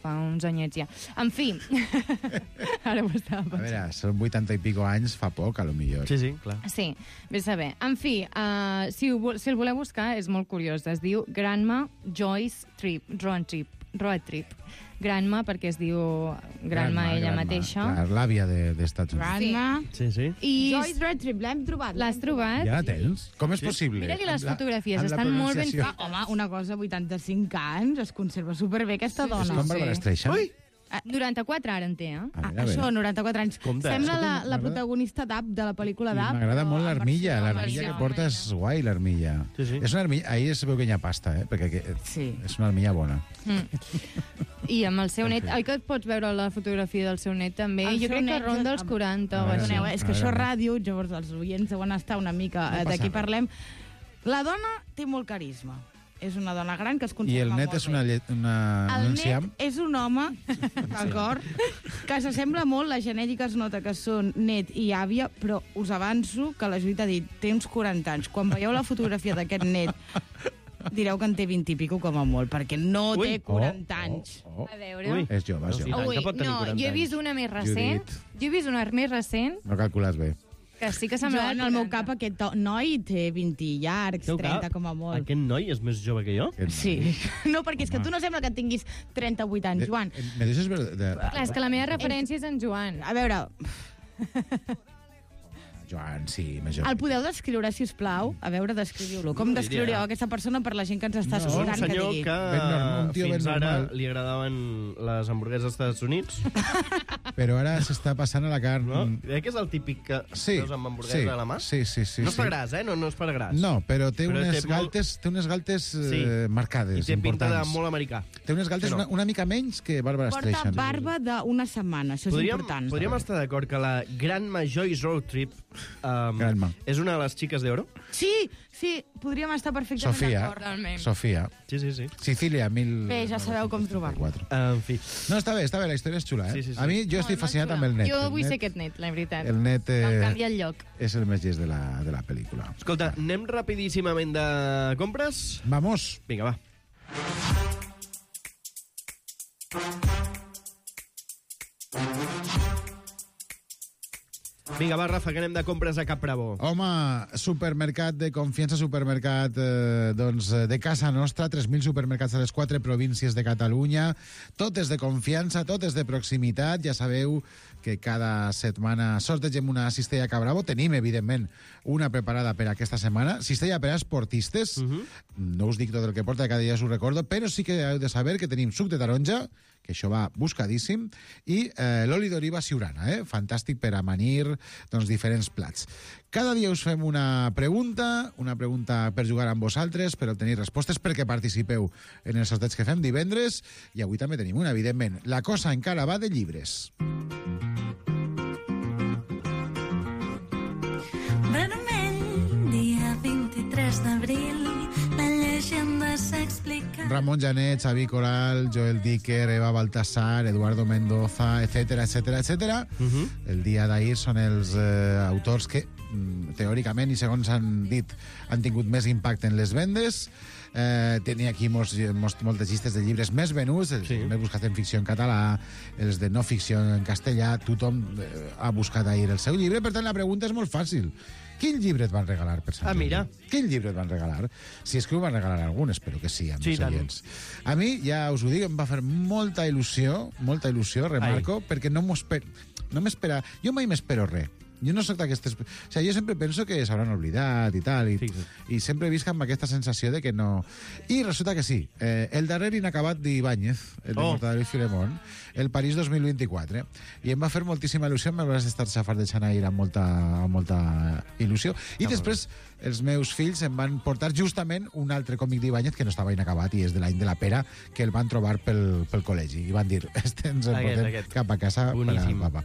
fa uns anyets ja. En fi, ara ho estava pensant. A veure, són 80 i pico anys, fa poc, a lo millor. Sí, sí, clar. Sí, bé saber. En fi, si el voleu buscar, és molt curiós. Es diu Grandma Joyce Road Trip. Grandma, perquè es diu Grandma ella mateixa. Clar, l'àvia d'Estats Units. Grandma. Sí, sí. I Joyce Road Trip, l'hem trobat. l'has trobat? Ja la tens? Com és possible? Mira-li les Amb la- fotografies, amb la estan molt ben pronunciació. Home, una cosa, 85 anys, es conserva superbé aquesta És dona. com Barbara Streisand. Ui! 94 ara en té, A veure, a veure. Això, 94 anys. Compte. Sembla la M'agrada- protagonista d'Up, de la pel·lícula I d'Up. m'agrada molt l'armilla, en l'armilla versió que porta és guai, l'armilla. Sí, sí. És una armilla, ahir es veu que hi ha pasta, perquè Sí. és una armilla bona. I amb el seu net, oi que et pots veure la fotografia del seu net també? El Jo seu crec que net, ronda els 40 o veure, així. Perdoneu, és que A això és veure. ràdio, llavors els oients deuen estar una mica No passa d'aquí res. parlem. La dona té molt carisma. És una dona gran que es I conserva el net molt és una, bé. un El enciam. net és un home, d'acord, que s'assembla molt, la genètica es nota que són net i àvia, però us avanço que la Judit ha dit, té uns 40 anys. Quan veieu la fotografia d'aquest net, direu que en té 20 i pico com a molt, perquè no Ui. té 40 anys. A veure... Ui. És jove, és Sí, jove. tant. Ui, que pot tenir no, 40 jo he vist anys. una més recent. Judit. Jo he vist una més recent No calcules bé. que sí que Jo, semblava... en el meu cap, aquest noi té 20 llargs, Teu 30 cap, com a molt. Aquest noi és més jove que jo? Sí. No, perquè és que tu no sembla que tinguis 38 anys, Joan. Me deixes veure... Clar, és que la meva referència és en Joan. A veure, Joan, sí, més jove. el podeu descriure, si us plau? A veure, descriviu-lo. Com No, descriuríeu diria- aquesta persona per la gent que ens està No, És un escoltant que senyor digui? que un tio ben fins ara normal. li agradaven les hamburgueses als Estats Units, Però ara s'està passant a la carn... no? Que és el típic que Sí, veus amb hamburguesa a la mà? sí, sí, sí. No és per sí. gras, no? No és per gras. No, però té Però unes té galtes, té unes galtes Sí. marcades, I té pinta de importants. molt americà. Té unes galtes Sí, no. una mica menys que Barbara Porta Streisand. barba d'una setmana, això és important. Podríem estar d'acord que la Grandma Joyce Road Trip Grandma. és una de les xiques d'oro? Sí, sí, podríem estar perfectament Sofia, d'acord. Realment. Sofia. Sí, sí, sí. Sicília, Bé, ja sabeu com trobar-lo. 1934. En fi. No, està bé, la història és xula, eh? Sí, sí, sí. A mi, jo estic fascinat amb el net. Jo vull El ser net aquest net, la veritat. El net Em canvia el lloc. és el més llest de la pel·lícula. Escolta, anem rapidíssimament de compres? Vamos. Vinga, va. Vinga, va, Rafa, que anem de compres a Cap Bravo. Home, supermercat de confiança, supermercat de casa nostra, 3.000 supermercats a les 4 províncies de Catalunya, totes de confiança, totes de proximitat. Ja sabeu que cada setmana sortegem una cistella Cap Bravo. Tenim, evidentment, una preparada per aquesta setmana. Cistella per a esportistes. No us dic tot el que porta, cada dia us ho recordo, però sí que heu de saber que tenim suc de taronja, que això va buscadíssim, i l'oli d'oliva Siurana, fantàstic per amanir diferents plats. Cada dia us fem una pregunta per jugar amb vosaltres, per obtenir respostes, perquè participeu en els sorteig que fem divendres, i avui també tenim una, evidentment. La cosa encara va de llibres. Vermell, dia 23 d'abril, la llegenda s'explica. Ramon Janet, Xavi Coral, Joel Dicker, Eva Baltasar, Eduardo Mendoza, etcètera, etcètera, etcètera. El dia d'ahir són els autors que, teòricament, i segons han dit, han tingut més impacte en les vendes. Tenia aquí moltes llistes de llibres més venuts, els més buscats en ficció en català, els de no ficció en castellà. Tothom ha buscat ahir el seu llibre. Per tant, la pregunta és molt fàcil. Quin llibre et van regalar per Sant Jordi? mira. Quin llibre et van regalar? Si és que ho van regalar algun, espero que sí, amb Sí, els tant. oients. A mi, ja us ho dic, em va fer molta il·lusió, remarco, perquè no m'espera... Jo mai m'espero res. Jo no soc d'aquestes... O sigui, jo sempre penso que s'hauran oblidat i tal, i sempre visc amb aquesta sensació de que no... I resulta que sí. El darrer inacabat d'Ibáñez, el de Mortadelo i Filemón, el París 2024. I em va fer moltíssima il·lusió, me vas estar xafardejant ahir amb molta il·lusió. I després els meus fills em van portar justament un altre còmic d'Ibáñez que no estava inacabat i és de l'any de la pera, que el van trobar pel col·legi. I van dir, ens el portem cap a casa per al papa.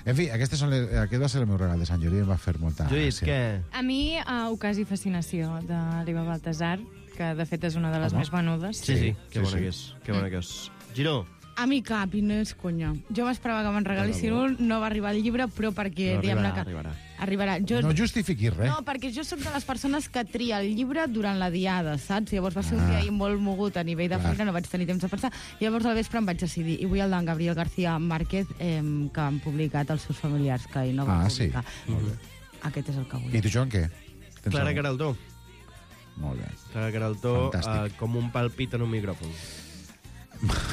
En fi, aquest va ser el meu regal de Sant Jordi, em va fer molta Lluís, què? A mi, Ocasi Fascinació, de l'Eva Baltasar, que de fet és una de les més venudes. Sí, que bona que és. Que bona que és. Giró. A mi cap, i no és conya. Jo m'esperava que me'n regalissin un, no va arribar el llibre, però perquè... Però diguem-ne arribarà. Arribarà. Jo... No justifiquis res. No, perquè jo sóc de les persones que tria el llibre durant la diada, saps? Llavors va ser un dia ahir molt mogut a nivell de feina, no vaig tenir temps de pensar. Llavors al vespre em vaig decidir, i vull el d'en Gabriel García Márquez, que han publicat els seus familiars, que ell no va publicar. Sí. Molt bé. Aquest és el que vull. I tu, Joan, què? Tens Clara algun? Queraltó. Molt bé. Clara Queraltó, Fantàstic. com un palpit en un micròfon.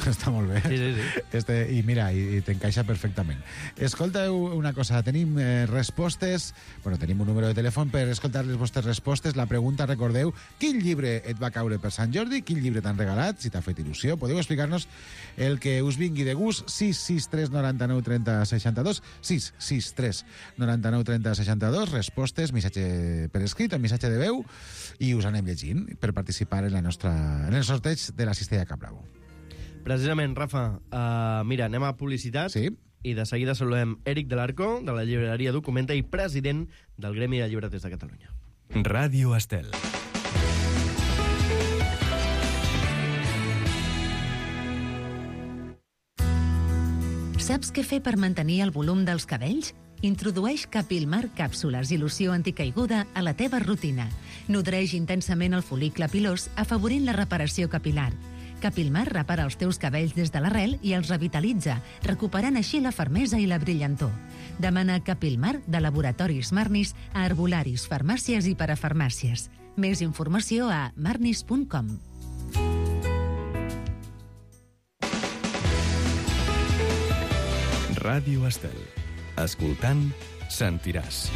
Està molt bé. Sí. I mira, i t'encaixa perfectament. Escolteu una cosa, tenim respostes, tenim un número de telèfon per escoltar les vostres respostes. La pregunta, recordeu, quin llibre et va caure per Sant Jordi? Quin llibre t'han regalat? Si t'ha fet il·lusió, podeu explicar-nos el que us vingui de gust. 663 99 30 62, 663 99 30 62, respostes, missatge per escrit o missatge de veu, i us anem llegint per participar en el sorteig de la Cistella Cap Bravo. Precisament, Rafa, mira, anem a publicitat. Sí. I de seguida saludem Éric de l'Arco, de la llibreria Documenta i president del Gremi de Llibreters de Catalunya. Ràdio Estel. Saps què fer per mantenir el volum dels cabells? Introdueix Capilmar càpsules i loció anticaiguda a la teva rutina. Nodreix intensament el fol·licle pilós, afavorint la reparació capilar. Capilmar repara els teus cabells des de l'arrel i els revitalitza, recuperant així la fermesa i la brillantor. Demana Capilmar de Laboratoris Marnis a herbolaris, farmàcies i parafarmàcies. Més informació a marnis.com. Ràdio Estel. Escoltant, sentiràs.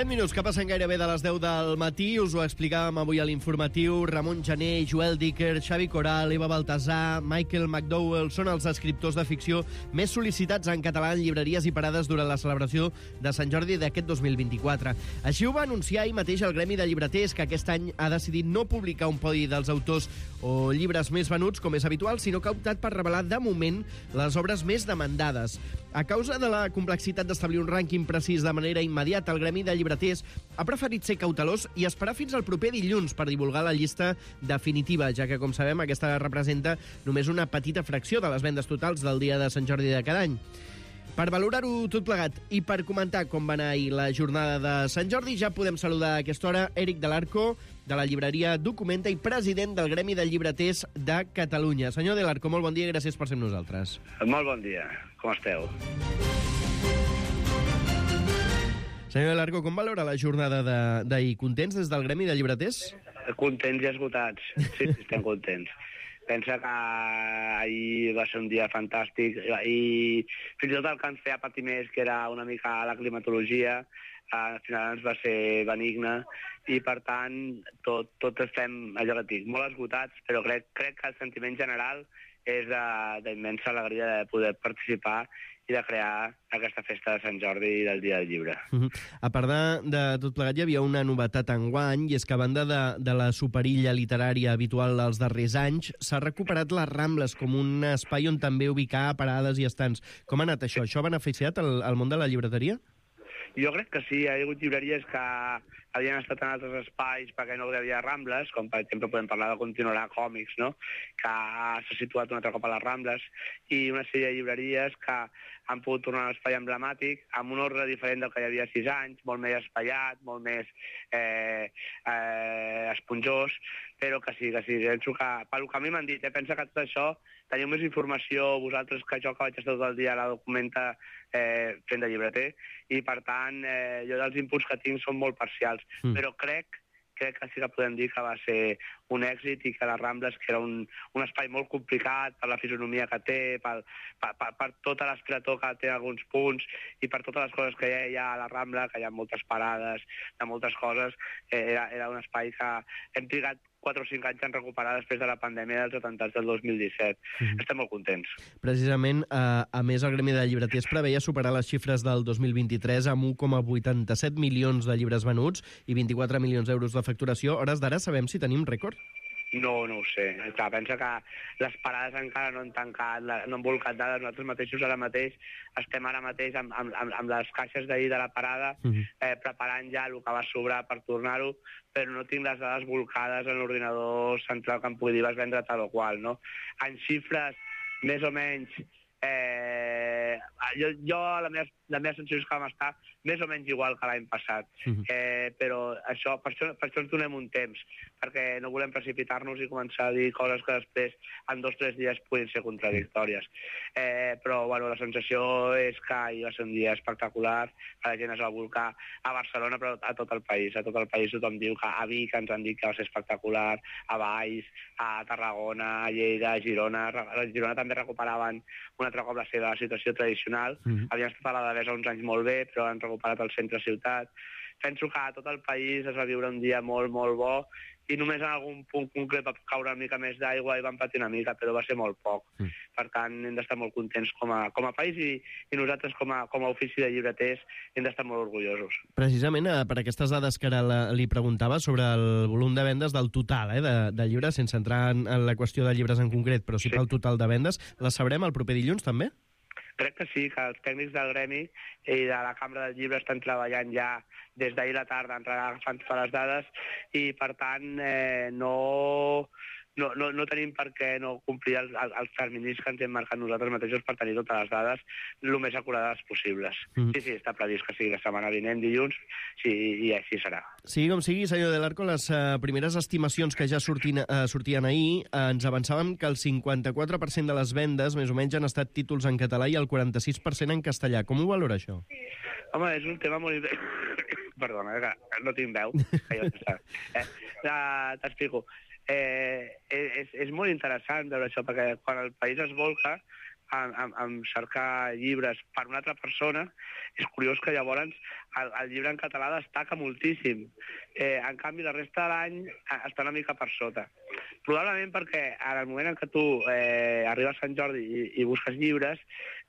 Minuts que passen gairebé de les 10 del matí. Us ho explicàvem avui a l'informatiu. Ramon Jané, Joel Dicker, Xavi Coral, Eva Baltasar, Michael McDowell són els escriptors de ficció més sol·licitats en català en llibreries i parades durant la celebració de Sant Jordi d'aquest 2024. Així ho va anunciar ahir mateix el Gremi de Llibreters, que aquest any ha decidit no publicar un podi dels autors o llibres més venuts, com és habitual, sinó que ha optat per revelar de moment les obres més demandades. A causa de la complexitat d'establir un rànquing precís de manera immediata, el Gremi de Llibreters ha preferit ser cautelós i esperar fins al proper dilluns per divulgar la llista definitiva, ja que, com sabem, aquesta representa només una petita fracció de les vendes totals del dia de Sant Jordi de cada any. Per valorar-ho tot plegat i per comentar com va anar ahir la jornada de Sant Jordi, ja podem saludar a aquesta hora Éric de l'Arco, de la llibreria Documenta i president del Gremi de Llibreters de Catalunya. Senyor de l'Arco, molt bon dia i gràcies per ser amb nosaltres. Molt bon dia, com esteu? Senyor de l'Arco, com valora la jornada d'ahir? Contents des del Gremi de Llibreters? Contents i esgotats. Sí, estem contents. Pensa que ahir va ser un dia fantàstic i fins i tot el que ens feia patir més, que era una mica la climatologia, al final ens va ser benigne i, per tant, tot estem, allò que dic, molt esgotats, però crec que el sentiment general és d'immensa alegria de poder participar i de crear aquesta festa de Sant Jordi i del Dia del Llibre. A part de tot plegat, hi havia una novetat enguany, i és que a banda de la superilla literària habitual dels darrers anys, s'ha recuperat les Rambles com un espai on també ubicar parades i estants. Com ha anat això? Això ha beneficiat el món de la llibreteria? Jo crec que sí, hi ha hagut llibreries que havien estat en altres espais perquè no hi havia Rambles, com per exemple podem parlar de Continuarà Còmics, no? Que s'ha situat un altre cop a les Rambles, i una sèrie de llibreries que han pogut tornar a l'espai emblemàtic amb un ordre diferent del que hi havia 6 anys, molt més espaiat, molt més esponjós, però que sí, penso que, pel que a mi m'han dit, pensa que tot això teniu més informació vosaltres que jo, que vaig estar tot el dia a la Documenta fent de llibreter, i per tant jo dels inputs que tinc són molt parcials, però crec que sí que podem dir que va ser un èxit i que les Rambles, que era un espai molt complicat per la fisonomia que té, per tota l'esclator que té alguns punts i per totes les coses que hi ha a la Rambla, que hi ha moltes parades, de moltes coses, era un espai que hem trigat 4 o 5 anys en recuperar després de la pandèmia dels atemptats del 2017. Estem molt contents. Precisament, a més, el Gremi de Llibreters preveia superar les xifres del 2023 amb 1,87 milions de llibres venuts i 24 milions d'euros de facturació. A hores d'ara sabem si tenim rècord? no ho sé. Clar, pensa que les parades encara no han tancat, no han volcat dades. Nosaltres mateixos ara mateix estem amb les caixes d'ahir de la parada preparant ja el que va sobrar per tornar-ho, però no tinc les dades volcades en l'ordinador central que em pugui dir vas vendre tal o qual, no? En xifres, més o menys, jo la meva sensació és que vam estar més o menys igual que l'any passat, però per això ens donem un temps, perquè no volem precipitar-nos i començar a dir coses que després en 2 o 3 dies puguin ser contradictòries. Però bueno, la sensació és que ahir va ser un dia espectacular, que la gent es va volcar a Barcelona, però a tot el país. A tot el país tothom diu que a Vic ens han dit que va ser espectacular, a Valls, a Tarragona, a Lleida, a Girona. A Girona també recuperaven un altre cop la seva situació tradicional. Havien estat a la Devesa uns anys molt bé, però han recuperat el centre-ciutat. Penso que a tot el país es va viure un dia molt, molt bo, i només en algun punt concret va caure una mica més d'aigua i van patir una mica, però va ser molt poc. Per tant, hem d'estar molt contents com a país i nosaltres com a ofici de llibreters hem d'estar molt orgullosos. Precisament per aquestes dades que ara li preguntava sobre el volum de vendes del total de llibres, sense entrar en la qüestió de llibres en concret, però sí pel total de vendes, les sabrem el proper dilluns també? Crec que sí, que els tècnics del Gremi i de la Cambra del Llibre estan treballant ja des d'ahir a la tarda, agafant totes les dades, i per tant no tenim per què no complir els terminis que ens hem marcat nosaltres mateixos per tenir totes les dades el més acurades possibles. Sí, està previst que sigui la setmana vinent, dilluns, i així serà. Sigui com sigui, senyor Del Arco, les primeres estimacions que ja sortien ahir ens avançàvem que el 54% de les vendes, més o menys, han estat títols en català i el 46% en castellà. Com ho valora, això? Home, és un tema molt... Perdona, que no tinc veu. T'explico. És molt interessant veure això, perquè quan el país es volca en cercar llibres per una altra persona, és curiós que llavors el llibre en català destaca moltíssim. En canvi, la resta de l'any està una mica per sota. Probablement perquè en el moment en què tu arribes a Sant Jordi i busques llibres,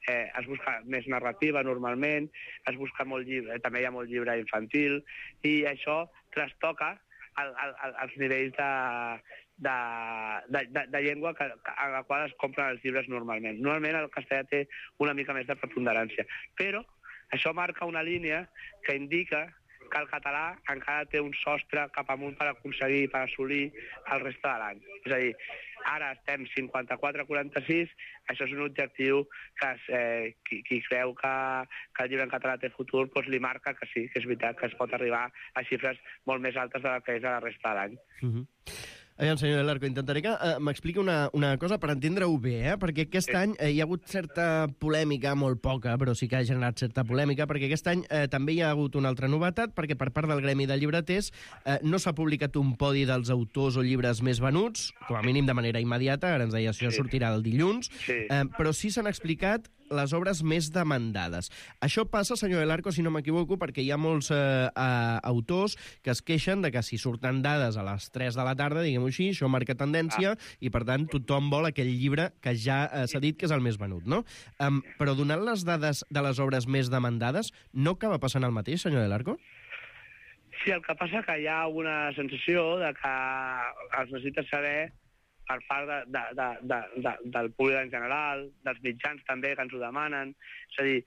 es busca més narrativa normalment, es busca molt llibre, també hi ha molt llibre infantil, i això trastoca els nivells de llengua a la qual es compren els llibres normalment. Normalment el castellà té una mica més de preponderància, però això marca una línia que indica que el català encara té un sostre cap amunt per aconseguir, per assolir el reste de l'any. És a dir, ara estem 54-46, això és un objectiu que qui creu que el llibre en català té futur, doncs li marca que sí, que és veritat, que es pot arribar a xifres molt més altes de la que és a la resta de l'any. Aviam, senyor Del Arco, intentaré que m'expliqui una cosa per entendre-ho bé, perquè aquest any hi ha hagut certa polèmica, molt poca, però sí que ha generat certa polèmica, perquè aquest any també hi ha hagut una altra novetat, perquè per part del Gremi de Llibreters no s'ha publicat un podi dels autors o llibres més venuts, com a mínim de manera immediata, ara ens deia això sortirà el dilluns, però sí s'han explicat les obres més demandades. Això passa, senyor Del Arco, si no m'equivoco, perquè hi ha molts autors que es queixen de que si surten dades a les 3 de la tarda, diguem-ho així, això marca tendència i, per tant, tothom vol aquell llibre que ja s'ha dit que és el més venut, no? Però donant les dades de les obres més demandades, no acaba passant el mateix, senyor Del Arco? Sí, el que passa que hi ha una sensació de que es necessita saber per part del públic en general, dels mitjans també que ens ho demanen. És a dir,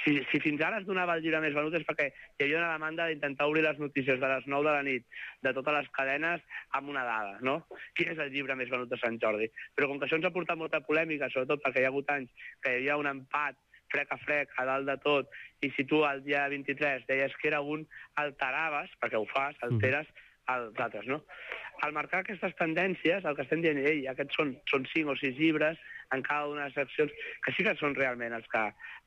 si fins ara es donava el llibre més venut és perquè hi havia una demanda d'intentar obrir les notícies de les 9 de la nit de totes les cadenes amb una dada, no? Quin és el llibre més venut de Sant Jordi? Però com que això ens ha portat molta polèmica, sobretot perquè hi ha hagut anys que hi havia un empat frec a frec, a dalt de tot, i si tu el dia 23 deies que era un, alteraves, perquè ho fas, alteres els altres, no? Al marcar aquestes tendències, el que estem dient, aquests són 5 o 6 llibres en cada una de les seccions, que sí que són realment els que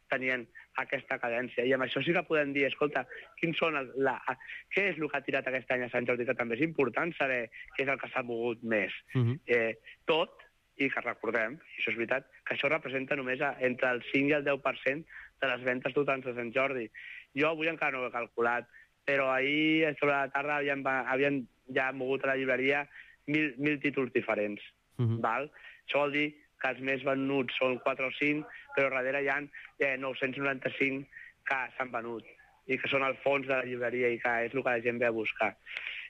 tenien aquesta cadència. I amb això sí que podem dir, escolta, què és el que ha tirat aquest any a Sant Jordi, que també és important saber què és el que s'ha mogut més. Tot, i que recordem, i això és veritat, que això representa només entre el 5 i el 10% de les ventes totals de Sant Jordi. Jo avui encara no ho he calculat, però ahir, sobre la tarda, havien ja mogut a la llibreria 1.000 títols diferents. Val? Això vol dir que els més venuts són 4 o 5, però darrere hi ha 995 que s'han venut i que són al fons de la llibreria i que és el que la gent ve a buscar.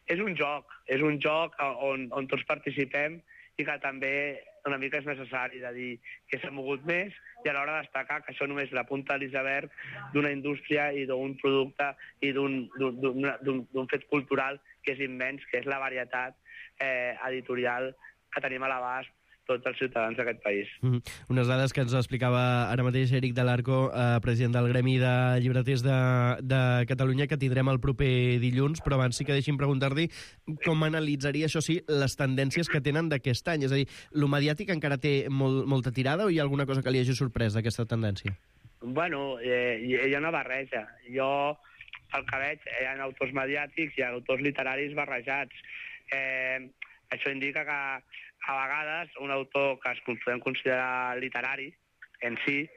és un joc on tots participem i que també una mica és necessari de dir que s'ha mogut més i alhora destacar que això només és la punta de l'iceberg d'una indústria i d'un producte i d'un fet cultural que és immens, que és la varietat editorial que tenim a l'abast tots els ciutadans d'aquest país. Unes dades que ens explicava ara mateix Eric de l'Arco, president del Gremi de Llibreters de Catalunya, que tindrem el proper dilluns, però abans sí que deixi'm preguntar-li com analitzaria, això sí, les tendències que tenen d'aquest any. És a dir, lo mediàtic encara té molta tirada o hi ha alguna cosa que li hagi sorprès d'aquesta tendència? Bueno, hi ha una barreja. Jo, pel que veig, hi ha autors mediàtics i autors literaris barrejats. Això indica que a vegades un autor que es podem considerar literari en si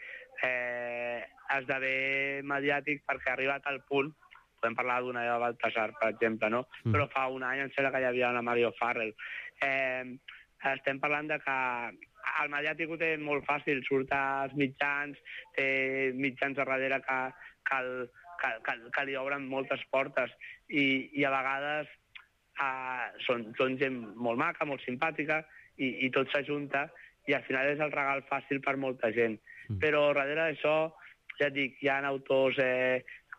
esdevé mediàtic perquè ha arribat al punt, podem parlar d'una Eva Baltasar, per exemple, no? Però fa un any em sembla que hi havia una Mario Farrell. Estem parlant de que el mediàtic ho té molt fàcil, surt als mitjans, té mitjans a darrere que li obren moltes portes i a vegades són gent molt maca, molt simpàtica, i tot s'ajunta, i al final és el regal fàcil per molta gent. Però darrere d'això, ja et dic, hi ha autors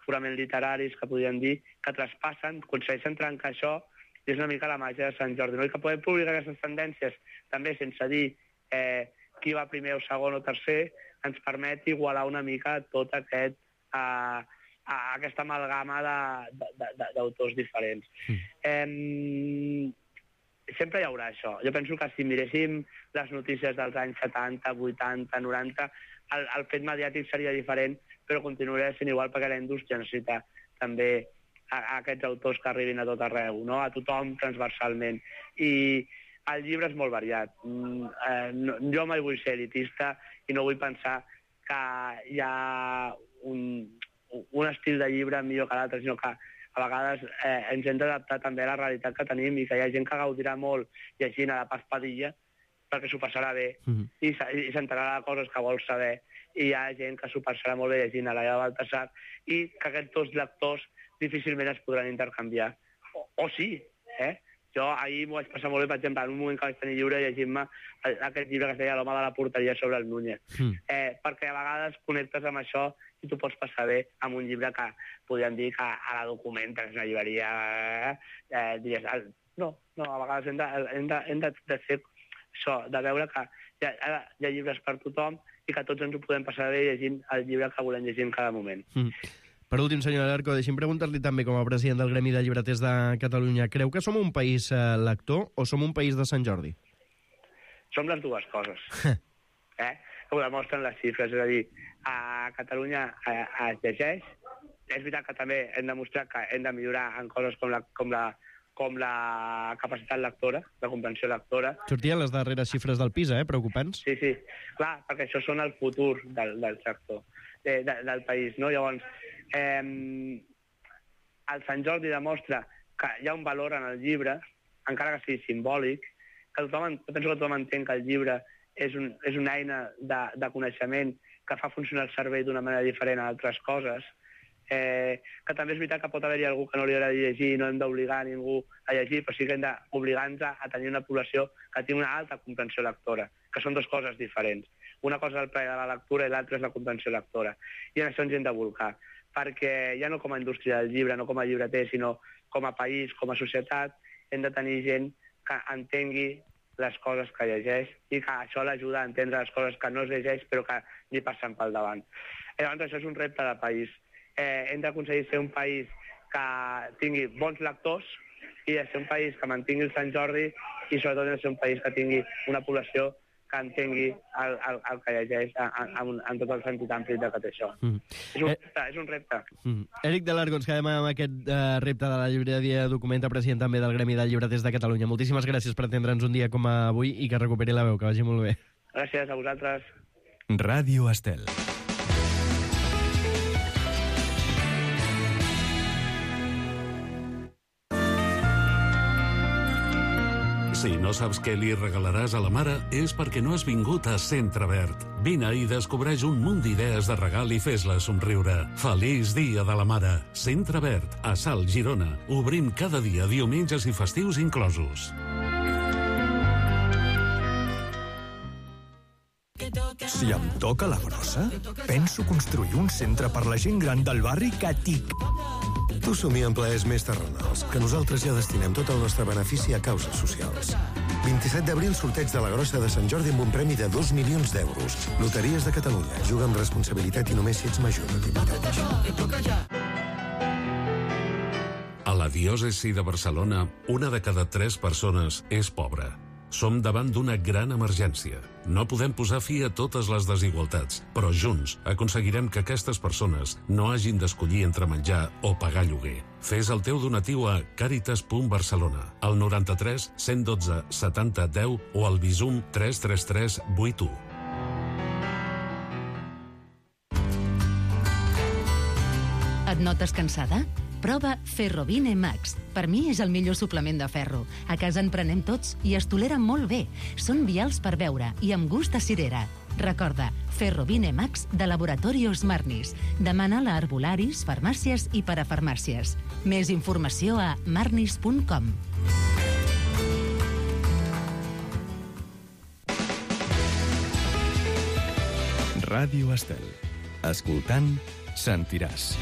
purament literaris, que podríem dir, que traspassen, aconsegueixen trencar això, i és una mica la màgia de Sant Jordi. No? I que podem publicar aquestes tendències, també sense dir qui va primer o segon o tercer, ens permet igualar una mica tot aquesta amalgama d'autors diferents. Sempre hi haurà això. Jo penso que si miréssim les notícies dels anys 70, 80, 90, el fet mediàtic seria diferent, però continuaria sent igual perquè la indústria necessita també aquests autors que arribin a tot arreu, no? A tothom transversalment. I el llibre és molt variat. Jo mai vull ser elitista i no vull pensar que hi ha un estil de llibre millor que l'altre, sinó que a vegades ens hem d'adaptar també a la realitat que tenim i que hi ha gent que gaudirà molt llegint a la Paz Padilla perquè s'ho passarà bé i s'enterarà de coses que vol saber, i hi ha gent que s'ho passarà molt bé llegint a la Eva Baltasar i que aquests dos lectors difícilment es podran intercanviar. O sí, Jo ahir m'ho vaig passar molt bé, per exemple, en un moment que vaig tenir lliure llegint-me aquest llibre que es deia L'home de la porteria sobre el Núñez. Perquè a vegades connectes amb això i tu pots passar bé amb un llibre que podríem dir que a la Documenta, que és una llibreria, diries... No, a vegades hem de fer això, de veure que hi ha llibres per tothom i que tots ens ho podem passar bé llegint el llibre que volem llegir en cada moment. Per últim, senyor Alarco, deixi'm preguntar-li també, com a president del Gremi de Llibreters de Catalunya, creu que som un país lector o som un país de Sant Jordi? Som les dues coses. Ho demostren les xifres, és a dir, a Catalunya es llegeix. És veritat que també hem demostrat que hem de millorar en coses com la capacitat lectora, la comprensió lectora. Sortien les darreres xifres del PISA, preocupants. Sí, clar, perquè això són el futur del sector, del país, no? Llavors, el Sant Jordi demostra que hi ha un valor en el llibre, encara que sigui simbòlic, que penso que tothom entén que el llibre és una eina de coneixement que fa funcionar el cervell d'una manera diferent a altres coses, que també és veritat que pot haver-hi algú que no li agradi llegir i no hem d'obligar a ningú a llegir, però sí que hem d'obligar-nos a tenir una població que tingui una alta comprensió lectora, que són dues coses diferents. Una cosa és el plaer de la lectura i l'altra és la comprensió lectora. I en això ens hem de bolcar, perquè ja no com a indústria del llibre, no com a llibreter, sinó com a país, com a societat, hem de tenir gent que entengui les coses que llegeix i que això l'ajuda a entendre les coses que no es llegeix però que li passen pel davant. Llavors això és un repte de país. Hem d'aconseguir ser un país que tingui bons lectors i de ser un país que mantingui el Sant Jordi i sobretot de ser un país que tingui una població que entengui el que llegeix en tot el sentit ampli de tot això. És un repte. Eric de l'Arco, ens quedem amb aquest repte de la llibreria Documenta, president també del Gremi de Llibreters de Catalunya. Moltíssimes gràcies per atendre'ns un dia com avui i que recuperi la veu, que vagi molt bé. Gràcies a vosaltres. Ràdio Estel. Si no saps què li regalaràs a la mare, és perquè no has vingut a Centre Verd. Vine i descobreix un munt d'idees de regal i fes-la somriure. Feliç Dia de la Mare. Centre Verd, a Salt, Girona. Obrim cada dia, diumenges i festius inclosos. Si em toca la grossa, penso construir un centre per la gent gran del barri que tic. Tu somia en plaers més terrenals, que nosaltres ja destinem tot el nostre benefici a causes socials. 27 d'abril, sorteig de la grossa de Sant Jordi amb un premi de 2 milions d'euros. Loteries de Catalunya. Juga amb responsabilitat i només si ets major de 18 anys. A la diòcesi de Barcelona, 1 de cada 3 persones és pobra. Som davant d'una gran emergència. No podem posar fi a totes les desigualtats, però junts aconseguirem que aquestes persones no hagin d'escollir entre menjar o pagar lloguer. Fes el teu donatiu a caritas.barcelona, al 93 112 70 10 o al Bizum 333 81. Et notes cansada? Prova Ferrovine Max. Per mi és el millor suplement de ferro. A casa en prenem tots i es tolera molt bé. Són vials per beure i amb gust a cirera. Recorda, Ferrovine Max de Laboratorios Marnis. Demana-la a herbolaris, farmàcies i parafarmàcies. Més informació a marnis.com. Ràdio Estel. Escoltant, sentiràs.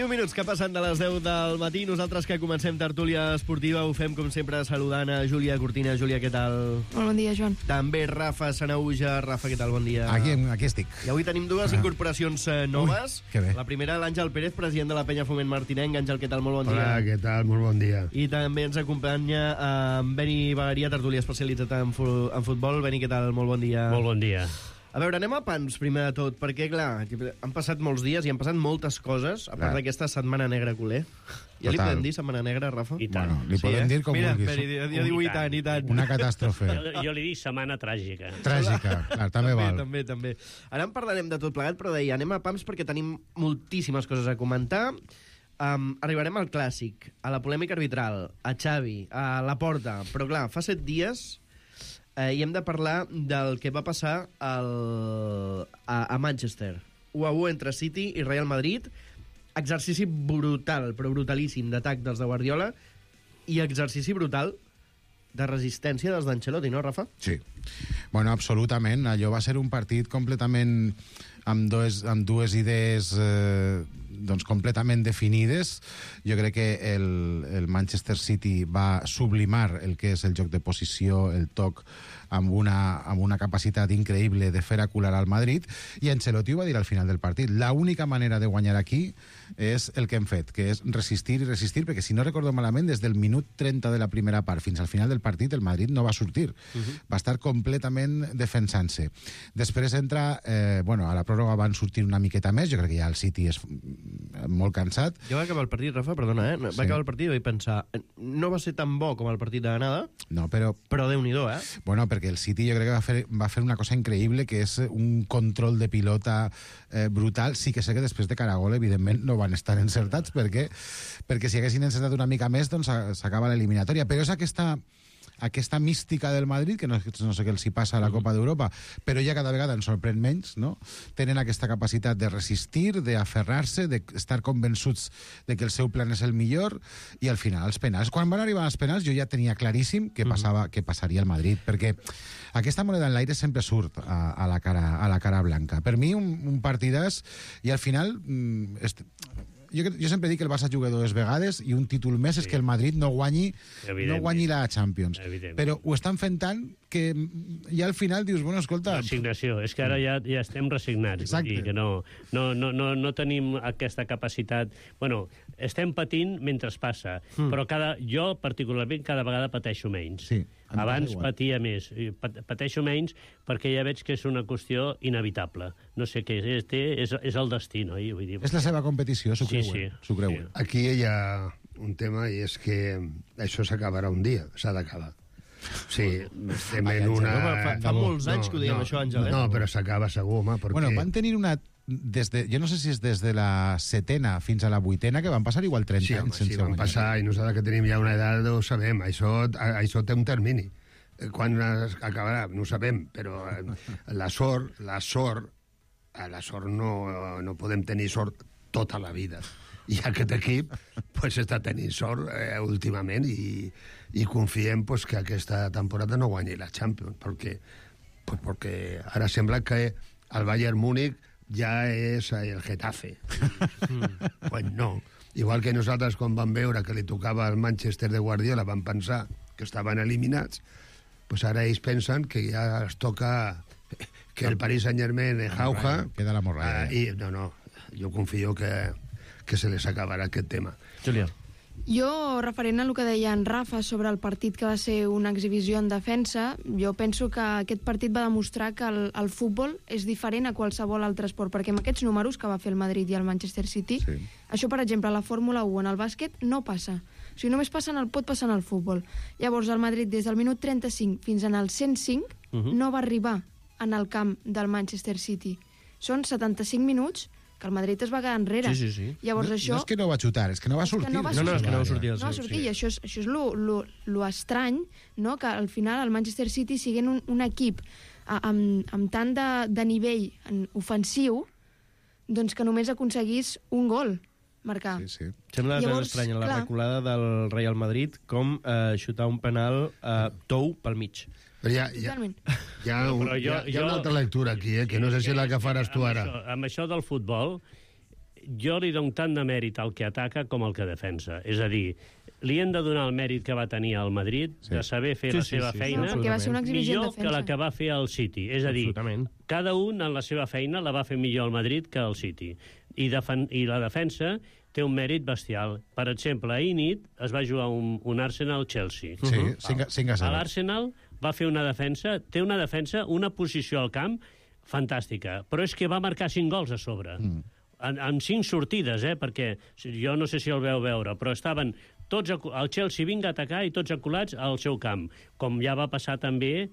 Minuts que passen de les 10 del matí. Nosaltres que comencem tertúlia esportiva ho fem, com sempre, saludant a Júlia Cortina. Júlia, què tal? Molt bon dia, Joan. També Rafa Sanauja. Rafa, què tal? Bon dia. Aquí estic. I avui tenim dues incorporacions noves. Que bé. La primera, l'Àngel Pérez, president de la Penya Foment Martinenc. Àngel, què tal? Molt bon dia. Hola, què tal? Molt bon dia. I també ens acompanya en Beni Bagaria, tertúlia especialitzat en futbol. Beni, què tal? Molt bon dia. Molt bon dia. A veure, anem a pans, primer de tot, perquè, clar, han passat molts dies i han passat moltes coses, a part d'aquesta setmana negra culer. Ja li podem dir setmana negra, Rafa? I tant. Bueno, li podem dir com vulguis. Mira, jo diu i tant. Una catàstrofe. Jo li dic setmana tràgica. Tràgica, clar, també val. També. Ara en parlarem de tot plegat, però deia, anem a pams perquè tenim moltíssimes coses a comentar. Arribarem al clàssic, a la polèmica arbitral, a Xavi, a Laporta, però clar, fa 7 dies... i hem de parlar del que va passar a Manchester. 1-1 entre City i Real Madrid. Exercici brutal, però brutalíssim, d'atac dels de Guardiola i exercici brutal de resistència dels d'Ancelotti, no, Rafa? Sí. Bueno, absolutament. Allò va ser un partit completament amb dues idees doncs completament definides. Jo crec que el Manchester City va sublimar el que és el joc de posició, el toc, amb una capacitat increïble de fer acular al Madrid, i Ancelotti ho va dir al final del partit. L'única manera de guanyar aquí és el que hem fet, que és resistir i resistir, perquè si no recordo malament, des del minut 30 de la primera part fins al final del partit, el Madrid no va sortir. Va estar completament defensant-se. Després entra, a la pròrroga van sortir una miqueta més, jo crec que ja el City és molt cansat. Jo vaig acabar el partit, Rafa, perdona, vaig acabar el partit i vaig pensar, no va ser tan bo com el partit de l'anada, no, però Déu-n'hi-do, Bueno, perquè el City jo crec que va fer una cosa increïble, que és un control de pilota brutal. Sí que sé que després de cara a gol, evidentment, no van estar encertats, perquè si haguessin encertat una mica més, doncs s'acaba l'eliminatòria. Però és aquesta mística del Madrid, que no sé què els hi passa a la Copa d'Europa, però ja cada vegada ens sorprèn menys, no? Tenen aquesta capacitat de resistir, d'aferrar-se, d'estar convençuts de que el seu plan és el millor, i al final els penals. Quan van arribar als penals jo ja tenia claríssim que passaria el Madrid, perquè aquesta moneda en l'aire sempre surt a la cara blanca. Per mi un partidàs, i al final... Jo sempre dic que el Barça juga 2 vegades i un títol més és que el Madrid no guanyi la Champions. Però ho estan fent tant que ja al final dius, bueno, escolta... Resignació, és que ara ja estem resignats. Exacte. Que no tenim aquesta capacitat... Bueno, estem patint mentre passa, però jo particularment cada vegada pateixo menys. Sí. Abans patia més. Pateixo menys perquè ja veig que és una qüestió inevitable. No sé què és el destí, no? Vull dir, és la seva competició, s'ho creuen. Sí. Aquí ella i és que això s'acabarà un dia, s'ha d'acabar. Sí, estem en una... Fa molts anys que ho dèiem, això, Àngel. No, però s'acaba segur, home, perquè... Bueno, van tenir una... jo no sé si és des de la 7a fins a la 8a, que van passar igual 30 anys sense van passar, i nosaltres que tenim ja una edat ho sabem, això té un termini. Quan acabarà, no ho sabem, però la sort no podem tenir sort tota la vida. I aquest equip està tenint sort últimament i confiem que aquesta temporada no guanyi la Champions, perquè ara sembla que el Bayern Múnich ja és el Getafe. Pues no. Igual que nosaltres, quan vam veure que li tocava al Manchester de Guardiola, vam pensar que estaven eliminats, pues ara ells pensen que ja es toca que el Paris Saint-Germain jauja. Queda la morralla. No, jo confio que se les acabarà aquest tema. Júlia. Jo, referent a el que deia en Rafa sobre el partit que va ser una exhibició en defensa, jo penso que aquest partit va demostrar que el futbol és diferent a qualsevol altre esport, perquè amb aquests números que va fer el Madrid i el Manchester City, això, per exemple, a la Fórmula 1 en el bàsquet no passa. O sigui, només pot passar en el futbol. Llavors, el Madrid, des del minut 35 fins en el 105, no va arribar en el camp del Manchester City. Són 75 minuts que el Madrid es va quedar enrere. Sí. Llavors, no, això... no és que no va xutar, és que no va sortir. No, és que no va sortir. No va sortir, i això és lo estrany, no? Que al final el Manchester City, siguent un equip amb tant de nivell ofensiu, doncs que només aconseguís un gol marcar. Sí. Sembla estrany la reculada del Real Madrid com xutar un penal tou pel mig. Però hi ha una altra lectura aquí, que no sé si la que faràs tu ara. Amb això del futbol, jo li dono tant de mèrit al que ataca com al que defensa. És a dir, li hem de donar el mèrit que va tenir al Madrid, de saber fer la seva feina, millor que la que va fer el City. És a dir, cada un en la seva feina la va fer millor el Madrid que el City. I la defensa té un mèrit bestial. Per exemple, ahir nit es va jugar un Arsenal-Chelsea. Sí, 5-0. L'Arsenal va fer una defensa, una posició al camp fantàstica, però és que va marcar 5 gols a sobre. Amb 5 sortides, perquè jo no sé si el veu veure, però estaven tots, el Chelsea vinga a atacar i tots acolats al seu camp, com ja va passar també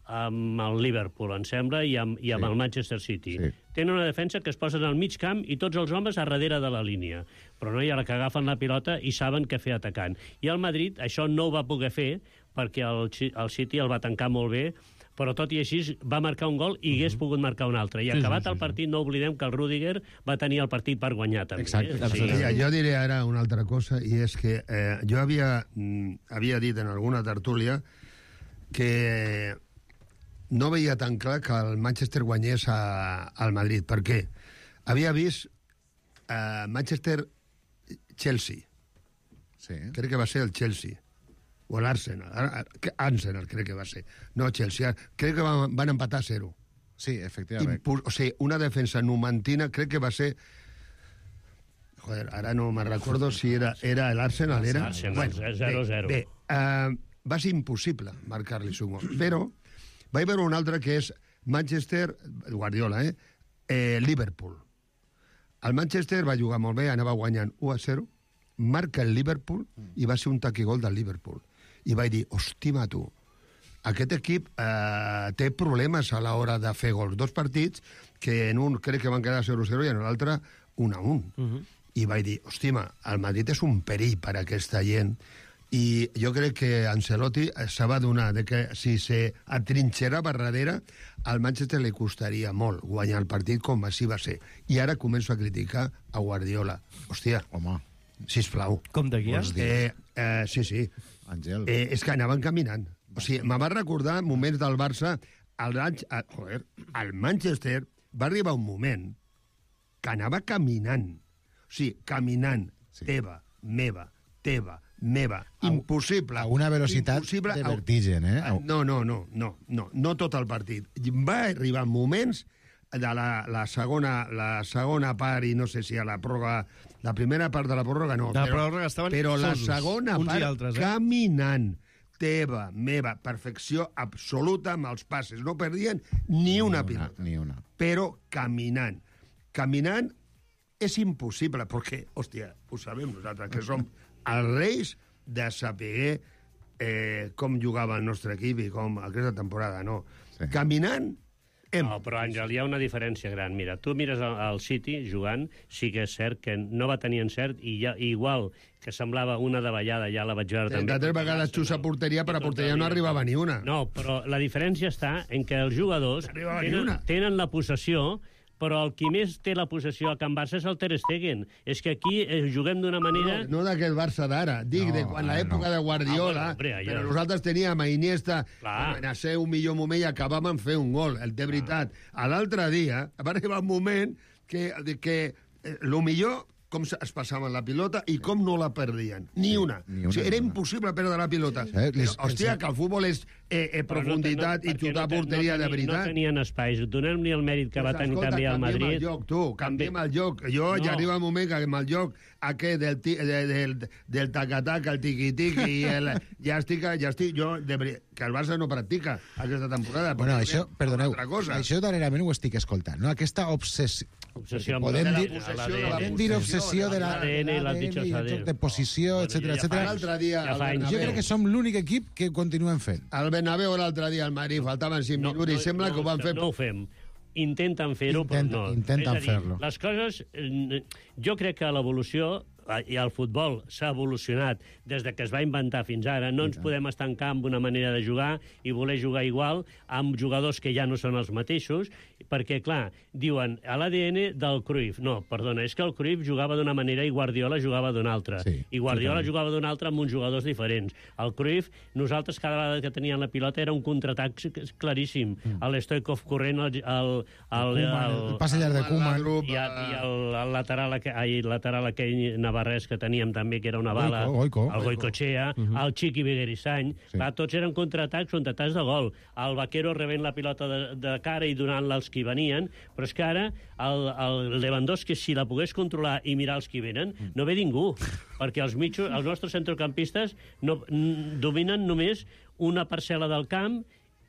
amb el Liverpool, em sembla, i amb el Manchester City. Tenen una defensa que es posen al mig camp i tots els homes a darrere de la línia. Però no hi ha la que agafen la pilota i saben què fer atacant. I el Madrid això no ho va poder fer perquè el City el va tancar molt bé, però tot i així va marcar un gol i hagués pogut marcar un altre. I acabat el partit, no oblidem que el Rüdiger va tenir el partit per guanyar també. Jo diré ara una altra cosa, i és que jo havia dit en alguna tertúlia que no veia tan clar que el Manchester guanyés al Madrid. Per què? Havia vist Manchester-Chelsea. Crec que va ser el Chelsea. O l'Arsenal. Arsenal crec que va ser. No, Chelsea. Crec que van empatar 0. Sí, efectivament. O sigui, una defensa numantina, crec que va ser... Joder, ara no me recordo si era l'Arsenal. Arsenal, 0-0. Bé, va ser impossible marcar-li un gol. Però vaig veure un altre que és Manchester, Guardiola, Liverpool. El Manchester va jugar molt bé, anava guanyant 1-0, marca el Liverpool i va ser un taquigol del Liverpool. I vaig dir, hòstima, tu, aquest equip té problemes a l'hora de fer gols. 2 partits que en un crec que van quedar 0-0 i en l'altre 1-1. I vaig dir, hòstima, el Madrid és un perill per a aquesta gent. I jo crec que Ancelotti se va donar de que si se atrinxerava darrere, al Manchester li costaria molt guanyar el partit com així va ser. I ara començo a criticar a Guardiola. Hòstia, home, sisplau. Com de guia? Sí. Àngel. És que anaven caminant. O sigui, me va recordar moments del Barça. El Manchester va arribar un moment que anava caminant. O sigui, caminant. Teva, meva. Impossible. A una velocitat de vertigen, No tot el partit. Va arribar moments de la segona part, i no sé si a la pròrroga, la primera part de la pròrroga no, però la segona part caminant, teva, meva, perfecció absoluta amb els passes, no perdien ni una pilota, però caminant és impossible, perquè, hòstia, ho sabem nosaltres, que som els reis de saber com jugava el nostre equip i com aquesta temporada, no. Sí. Caminant... No, però, Àngel, hi ha una diferència gran. Mira, tu mires el City jugant, sí que és cert que no va tenir encert, i ja, igual que semblava una davallada, ja la vaig veure també. 33 vegades xussa porteria, però a porteria no arribava ni una. No, però la diferència està en que els jugadors tenen la possessió, però el qui més té la possessió a Can Barça és el Ter Stegen. És que aquí juguem d'una manera... No d'aquest Barça d'ara, dic de quan l'època de Guardiola, però nosaltres teníem a Iniesta, a ser un millor moment i acabàvem fer un gol, el de veritat. A l'altre dia va arribar un moment que el millor com es passaven la pilota i com no la perdien. Ni una. O sigui, era impossible perdre la pilota. Hòstia, que el futbol és profunditat i xutar porteria de veritat. No tenien espais. Donem-li el mèrit que va tenir també al Madrid. Canviem el joc. Ja arriba un moment que amb el joc aquest del tac-tac, el tiqui-tiqui, ja estic... Que el Barça no practica aquesta temporada. Bueno, això, perdoneu, això darrerament ho estic escoltant, no? Aquesta obsessió... Podem dir obsessió de l'ADN, de posició, etc. Jo crec que som l'únic equip que continuem fent. Al Bernabéu l'altre dia al Madrid faltaven 5 minuts i sembla que ho van fer... No ho fem. Intenten fer-ho, però no. Intenten fer-lo. Les coses... Jo crec que l'evolució i el futbol s'ha evolucionat des de que es va inventar fins ara. No ens podem estancar amb una manera de jugar i voler jugar igual amb jugadors que ja no són els mateixos, perquè, clar, diuen a l'ADN del Cruyff. No, perdona, és que el Cruyff jugava d'una manera i Guardiola jugava d'una altra. I Guardiola jugava d'una altra amb uns jugadors diferents. El Cruyff, nosaltres cada vegada que tenien la pilota era un contraatac claríssim. El Stoikov corrent, el passe llarg de Koeman i el lateral aquell navarrès que teníem també, que era una bala, el Goicoechea, el Chiqui Beguerisany, tots eren contraatacs de gol. El Vaquero rebent la pilota de cara i donant-la als qui venien, però és que ara el Lewandowski, si la pogués controlar i mirar els qui venen, no ve ningú, perquè els nostres centrocampistes dominen només una parcel·la del camp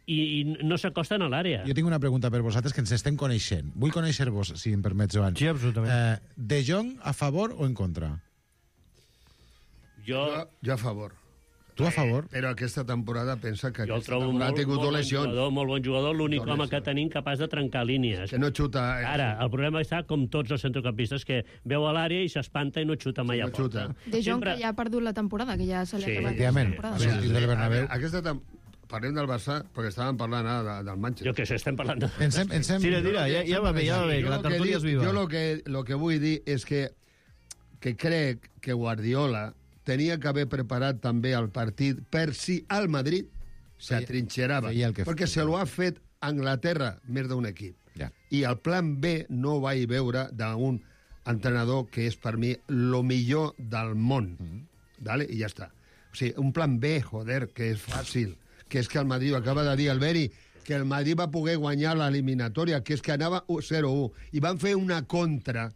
i no s'acosten a l'àrea. Jo tinc una pregunta per vosaltres, que ens estem coneixent. Vull conèixer-vos, si em permets, Joan. Sí, absolutament. De Jong, a favor o en contra? Jo a favor. Tu a favor? Però aquesta temporada pensa que jo el trobo molt bon jugador, l'únic home que tenim capaç de trencar línies. Que no xuta... Ara, el problema està com tots els centrocampistes, que veu a l'àrea i s'espanta i no xuta mai a porta. De Jong, que ja ha perdut la temporada, que ja se li ha acabat la temporada. Aquesta temporada... Parlem del Barça, perquè estàvem parlant ara del Manchester. Jo què sé, estem parlant de... Tira, ja va bé, que la tertúlia és viva. Jo lo que vull dir és que crec que Guardiola tenia que haver preparat també el partit per si al Madrid s'atrinxerava, perquè se lo ha fet Anglaterra més d'un equip. I el plan B no vaig veure d'un entrenador que és per mi lo millor del món. I ja està. O sigui, un plan B, joder, que és fàcil, que és que el Madrid, acaba de dir Alberi, que el Madrid va poder guanyar l'eliminatòria, que és que anava 0-1, i van fer una contra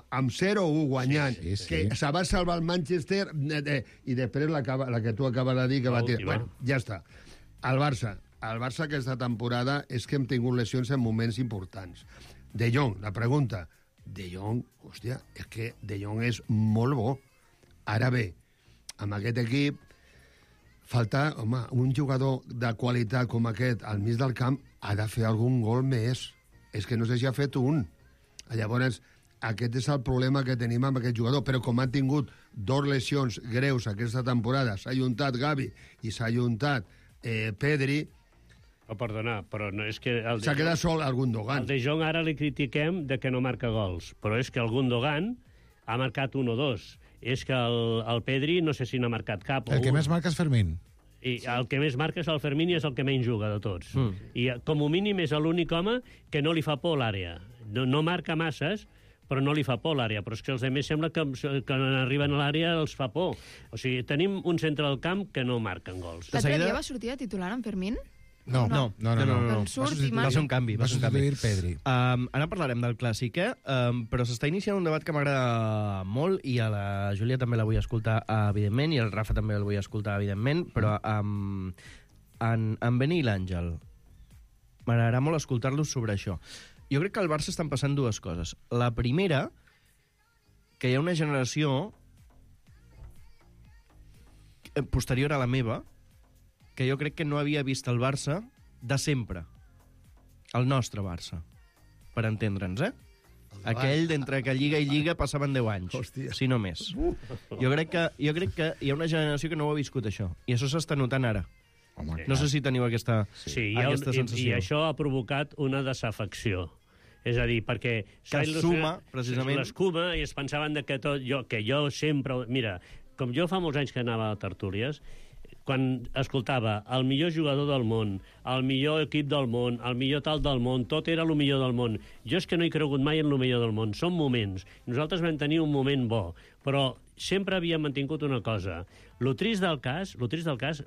amb 0-1 guanyant, que se va salvar el Manchester, i després la que tu acabes de dir, que va tirar. Bueno, ja està. El Barça aquesta temporada és que hem tingut lesions en moments importants. De Jong, la pregunta. De Jong, hòstia, és que De Jong és molt bo. Ara bé, amb aquest equip, falta, home, un jugador de qualitat com aquest al mig del camp ha de fer algun gol més. És que no sé si ha fet un. Llavors, aquest és el problema que tenim amb aquest jugador. Però com han tingut 2 lesions greus aquesta temporada, s'ha ajuntat Gavi i s'ha ajuntat Pedri... Perdona, però no és que... S'ha quedat sol el Gundogan. El De Jong ara li critiquem de que no marca gols, però és que el Gundogan ha marcat 1 o 2. És que el Pedri no sé si n'ha marcat cap. El que més marca és Fermín. I el que més marca és el Fermín i és el que menys juga de tots. I com a mínim és l'únic home que no li fa por l'àrea. No marca masses, però no li fa por l'àrea. Però és que els altres sembla que quan arriben a l'àrea els fa por. O sigui, tenim un centre del camp que no marquen gols. L'altre dia va sortir de titular en Fermín? No. Va ser un canvi. Va substituir Pedri. Ara parlarem del clàssic, però s'està iniciant un debat que m'agrada molt i a la Júlia també la vull escoltar, evidentment, i al Rafa també el vull escoltar, evidentment, però en Beni i l'Àngel m'agradarà molt escoltar-los sobre això. Jo crec que al Barça estan passant 2 coses. La primera que hi ha una generació posterior a la meva que jo crec que no havia vist el Barça de sempre. El nostre Barça, per entendre'ns, Aquell d'entre que lliga i lliga passaven 10 anys, si no més. Jo crec que hi ha una generació que no ho ha viscut, això. I això s'està notant ara. No sé si teniu aquesta sensació. I això ha provocat una desafecció. És a dir, perquè... Que es suma, precisament... L'escuma, i es pensaven que jo sempre... Mira, com jo fa molts anys que anava a tertúlies, quan escoltava el millor jugador del món, el millor equip del món, el millor tal del món, tot era el millor del món. Jo és que no he cregut mai en el millor del món. Són moments. Nosaltres vam tenir un moment bo, però sempre havíem mantingut una cosa. Lo trist del cas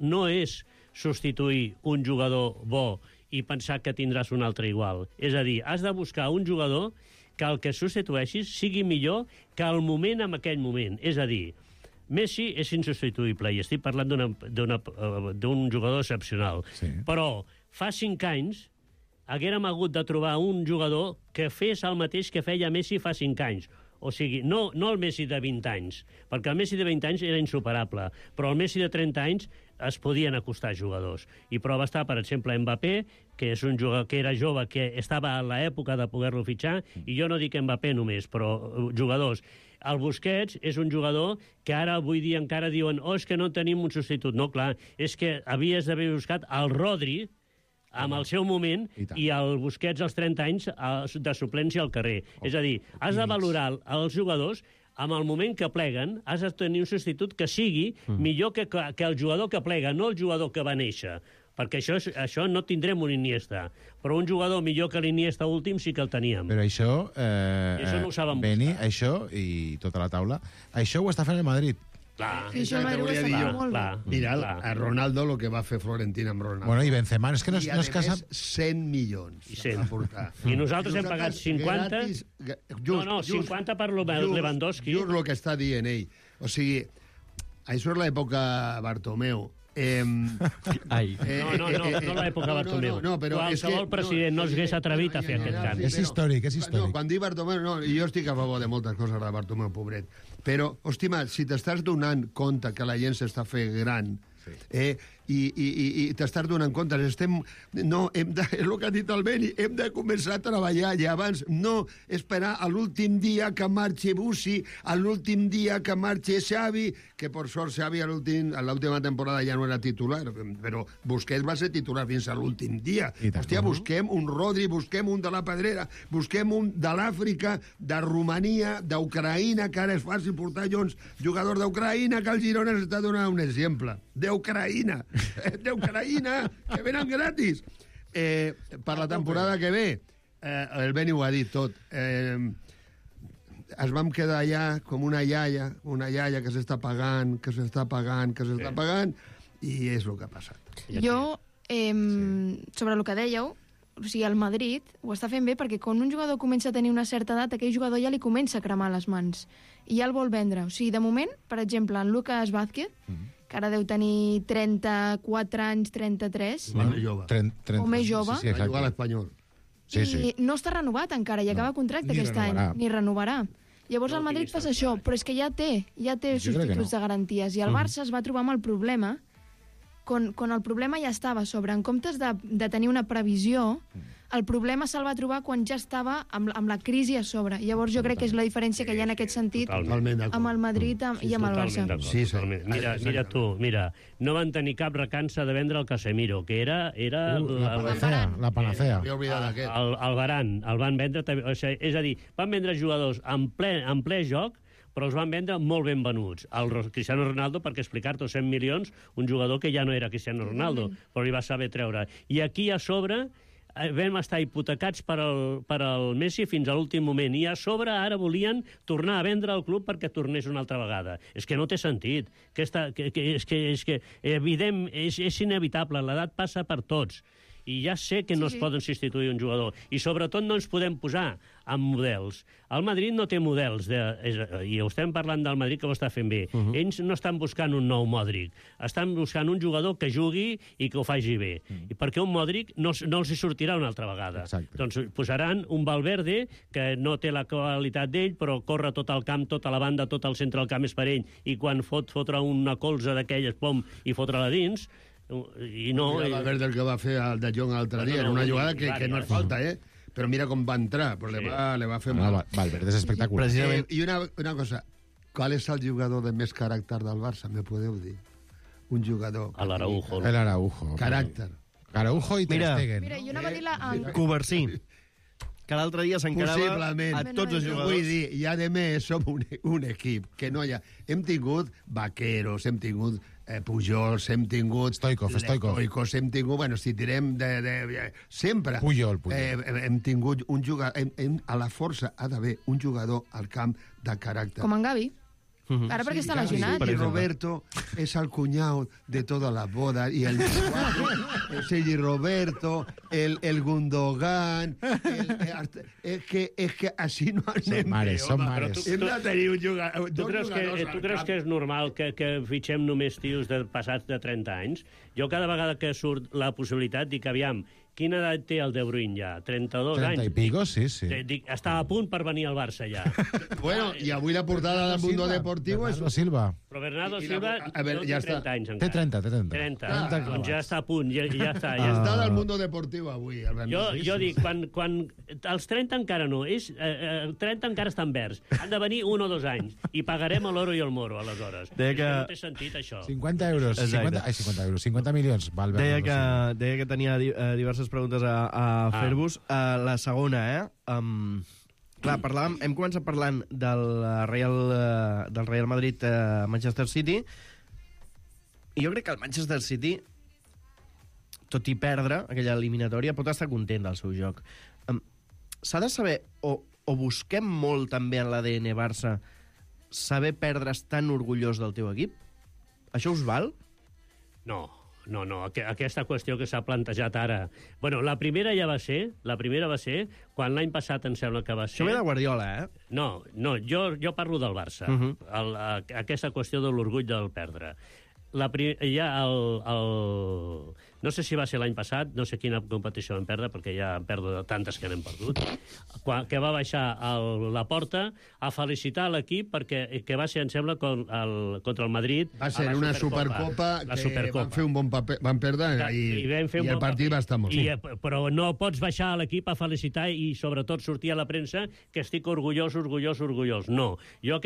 no és substituir un jugador bo i pensar que tindràs un altre igual. És a dir, has de buscar un jugador que el que substitueixis sigui millor que el moment en aquell moment. És a dir, Messi és insubstituïble, i estic parlant d'un jugador excepcional. Sí. Però fa 5 anys haguérem hagut de trobar un jugador que fes el mateix que feia Messi fa 5 anys. O sigui, no el Messi de 20 anys, perquè el Messi de 20 anys era insuperable, però el Messi de 30 anys es podien acostar jugadors. I prova està, per exemple, Mbappé, que és un jugador que era jove, que estava a l'època de poder-lo fitxar, i jo no dic Mbappé només, però jugadors. El Busquets és un jugador que ara, avui dia, encara diuen és que no tenim un substitut. No, clar, és que havies d'haver buscat el Rodri amb el seu moment i el Busquets als 30 anys de suplència al carrer. És a dir, has de valorar els jugadors amb el moment que pleguen, has de tenir un substitut que sigui millor que el jugador que plega, no el jugador que va néixer. Perquè això no tindrem un Iniesta, però un jugador millor que l'Iniesta últim sí que el teníem. Però això, això no ho saben Beni, això, i tota la taula, això ho està fent el Madrid. Clar. Això el Madrid ho està fent molt bé. Mira, a Ronaldo lo que va fer Florentina amb Ronaldo. Bueno, i Benzema, és que no és casa... 100 milions. I nosaltres hem pagat 50... No, 50 per Lewandowski. Just el que està dient ell. O sigui, això és l'època Bartomeu. No l'època Bartomeu. Qualsevol president no s'hagués atrevit a fer aquest canvi. És històric, és històric. Quan dic Bartomeu, jo estic a favor de moltes coses de Bartomeu, pobret. Però, hòstima, si t'estàs donant compte que la gent s'està fent gran, i t'estàs donant compte, és el que ha dit el Beni, hem de començar a treballar ja abans, no esperar a l'últim dia que marxi Bussi, a l'últim dia que marxi Xavi, que per sort Xavi a l'última temporada ja no era titular, però Busquets va ser titular fins a l'últim dia. Hòstia, busquem un Rodri, busquem un de la Pedrera, busquem un de l'Àfrica, de Romania, d'Ucraïna, que ara és fàcil portar jugadors d'Ucraïna, que el Girona s'està donant un exemple. D'Ucraïna, que venen gratis. Per la temporada que ve, el Beni ho ha dit tot, ens vam quedar allà com una iaia que s'està pagant, i és el que ha passat. Jo, sobre el que dèieu, o sigui, el Madrid ho està fent bé perquè quan un jugador comença a tenir una certa edat, aquell jugador ja li comença a cremar les mans i ja el vol vendre. O sigui, de moment, per exemple, en Lucas Vázquez, que ara deu tenir 34 anys, 33. O més jove. Sí, va jugar a l'Espanyol. I no està renovat encara, i acaba contracte aquest any. Ni renovarà. Llavors el Madrid passa això, però és que ja té substituts de garanties. I el Barça es va trobar amb el problema, quan el problema ja estava a sobre. En comptes de tenir una previsió, el problema se'l va trobar quan ja estava amb la crisi a sobre. Llavors jo crec que és la diferència que hi ha en aquest sentit amb el Madrid i amb el Barça. Sí, mira tu, no van tenir cap recança de vendre el Casemiro, que era la panacea. El Varane, el van vendre, és a dir, van vendre jugadors en ple joc, però els van vendre molt ben venuts. El Cristiano Ronaldo, perquè explicar-te 100 milions, un jugador que ja no era Cristiano Ronaldo, però li va saber treure. I aquí a sobre vam estar hipotecats per al Messi fins a l'últim moment, i a sobre ara volien tornar a vendre el club perquè tornés una altra vegada. És que no té sentit. És evident, és inevitable, l'edat passa per tots. I ja sé que no es poden substituir un jugador. I sobretot no ens podem posar amb models. El Madrid no té models, i ho estem parlant del Madrid que ho està fent bé. Ells no estan buscant un nou Modric, estan buscant un jugador que jugui i que ho faci bé. I perquè un Modric no els hi sortirà una altra vegada. Doncs posaran un Valverde que no té la qualitat d'ell, però corre tot el camp, tota la banda, tot el centre del camp és per ell, i quan fotre una colza d'aquelles, pom, i fotre-la dins, i no... Mira Valverde el que va fer el de Jong l'altre dia, en una jugada que no és falta, però mira com va entrar, però le va fer mal. Valverde és espectacular. I una cosa, qual és el jugador de més caràcter del Barça? Me podeu dir? Un jugador... L'Araujo. L'Araujo. Caràcter. Araujo i Ter Stegen. Mira, jo anava a dir la... Coversí, que l'altre dia s'encarava Possiblement. a tots els jugadors. Vull dir, i a més som un equip que no hi ha... Hem tingut vaqueros, hem tingut Pujols, hem tingut... Stoikov. Hem tingut... Bueno, si tirem sempre... Pujol. Hem tingut un jugador... A la força ha d'haver un jugador al camp de caràcter. Com en Gavi. Ara perquè està lesionat. Y Roberto es el cuñado de todas las bodas. Y el Sergi Roberto, el Gundogan... Es que así no anem bé. Són mares. Hem de tenir un jugador... Tu creus que és normal que fitxem només tios passats de 30 anys? Jo cada vegada que surt la possibilitat dic, aviam, quina edat té el De Bruyne ja? 32 anys? 30 i pico, sí. Dic, està a punt per venir al Barça ja. Bueno, i avui la portada del Mundo Deportivo és... Bernardo Silva. Però Bernardo Silva ja té 30 anys encara. Té 30. 30. Doncs ja està a punt, ja està. Està del Mundo Deportivo avui. Jo dic, quan els 30 encara no, 30 encara estan verds. Han de venir 1 o 2 anys i pagarem l'oro i el moro, aleshores. No té sentit, això. 50 euros. 50 milions. Deia que tenia diverses preguntes a fer-vos. La segona, clar, hem començat parlant del Real Madrid Manchester City, i jo crec que el Manchester City, tot i perdre aquella eliminatòria, pot estar content del seu joc. S'ha de saber, o busquem molt també en l'ADN Barça, saber perdre's tan orgullós del teu equip? Això us val? No, aquesta qüestió que s'ha plantejat ara... Bueno, la primera va ser quan l'any passat em sembla que va ser... Això ve de Guardiola, No, jo parlo del Barça. Aquesta qüestió de l'orgull del perdre. No sé si va ser l'any passat, no sé quina competició vam perdre, perquè ja hem perdut tantes que n'hem perdut, que va baixar la porta a felicitar l'equip perquè va ser, em sembla, contra el Madrid. Va ser una Supercopa que van fer un bon paper, van perdre i el partit va estar molt bé. Però no pots baixar a l'equip a felicitar i sobretot sortir a la premsa que estic orgullós. No. Jo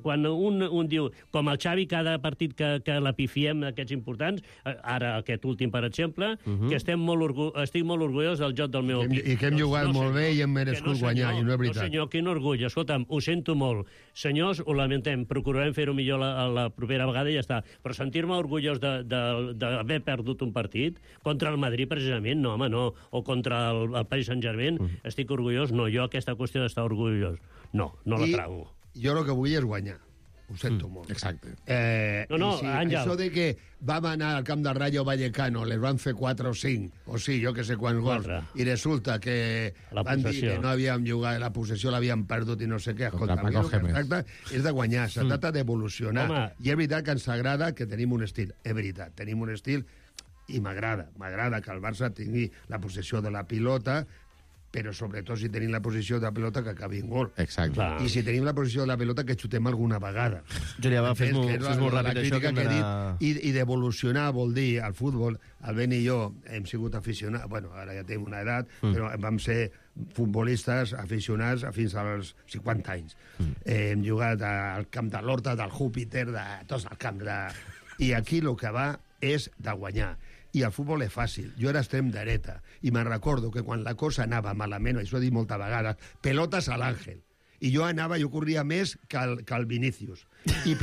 quan un diu, com el Xavi, cada partit que la pifiem d'aquests importants, ara aquest últim, per exemple, que estic molt orgullós del joc del meu equip. I que hem jugat molt bé i hem merescut guanyar, i no és veritat. No, senyor, quin orgull. Escolta'm, ho sento molt. Senyors, ho lamentem, procurarem fer-ho millor la propera vegada i ja està. Però sentir-me orgullós d'haver perdut un partit, contra el Madrid, precisament, no, home, no. O contra el Paris Saint-Germain, estic orgullós. No, jo aquesta qüestió d'estar orgullós, no la trago. Jo el que vull és guanyar. Ho sento molt. Exacte. Àngel. Això de que vam anar al camp de Rayo Vallecano, les van fer 4 o 5, o sí, jo que sé quants gols, i resulta que van dir que no havíem jugat, la possessió l'havíem perdut i no sé què. Escolta, el que es tracta és de guanyar, se tracta d'evolucionar. I és veritat que ens agrada que tenim un estil. És veritat, tenim un estil i m'agrada que el Barça tingui la possessió de la pilota, però sobretot si tenim la posició de la pilota que acabi en gol. Exacte. I si tenim la posició de la pilota que xutem alguna vegada. Julià, fes-m'ho ràpid això que hem d'anar... I d'evolucionar vol dir, al futbol, el Ben i jo hem sigut aficionats, bueno, ara ja tenim una edat, però vam ser futbolistes aficionats fins als 50 anys. Hem jugat al camp de l'Horta, del Júpiter, de tots els camps. I aquí el que va és de guanyar. I el futbol és fàcil. Jo era extrem dreta i me'n recordo que quan la cosa anava malament, això ho he dit moltes vegades, pelotes a l'Àngel. I jo corria més que el Vinícius. I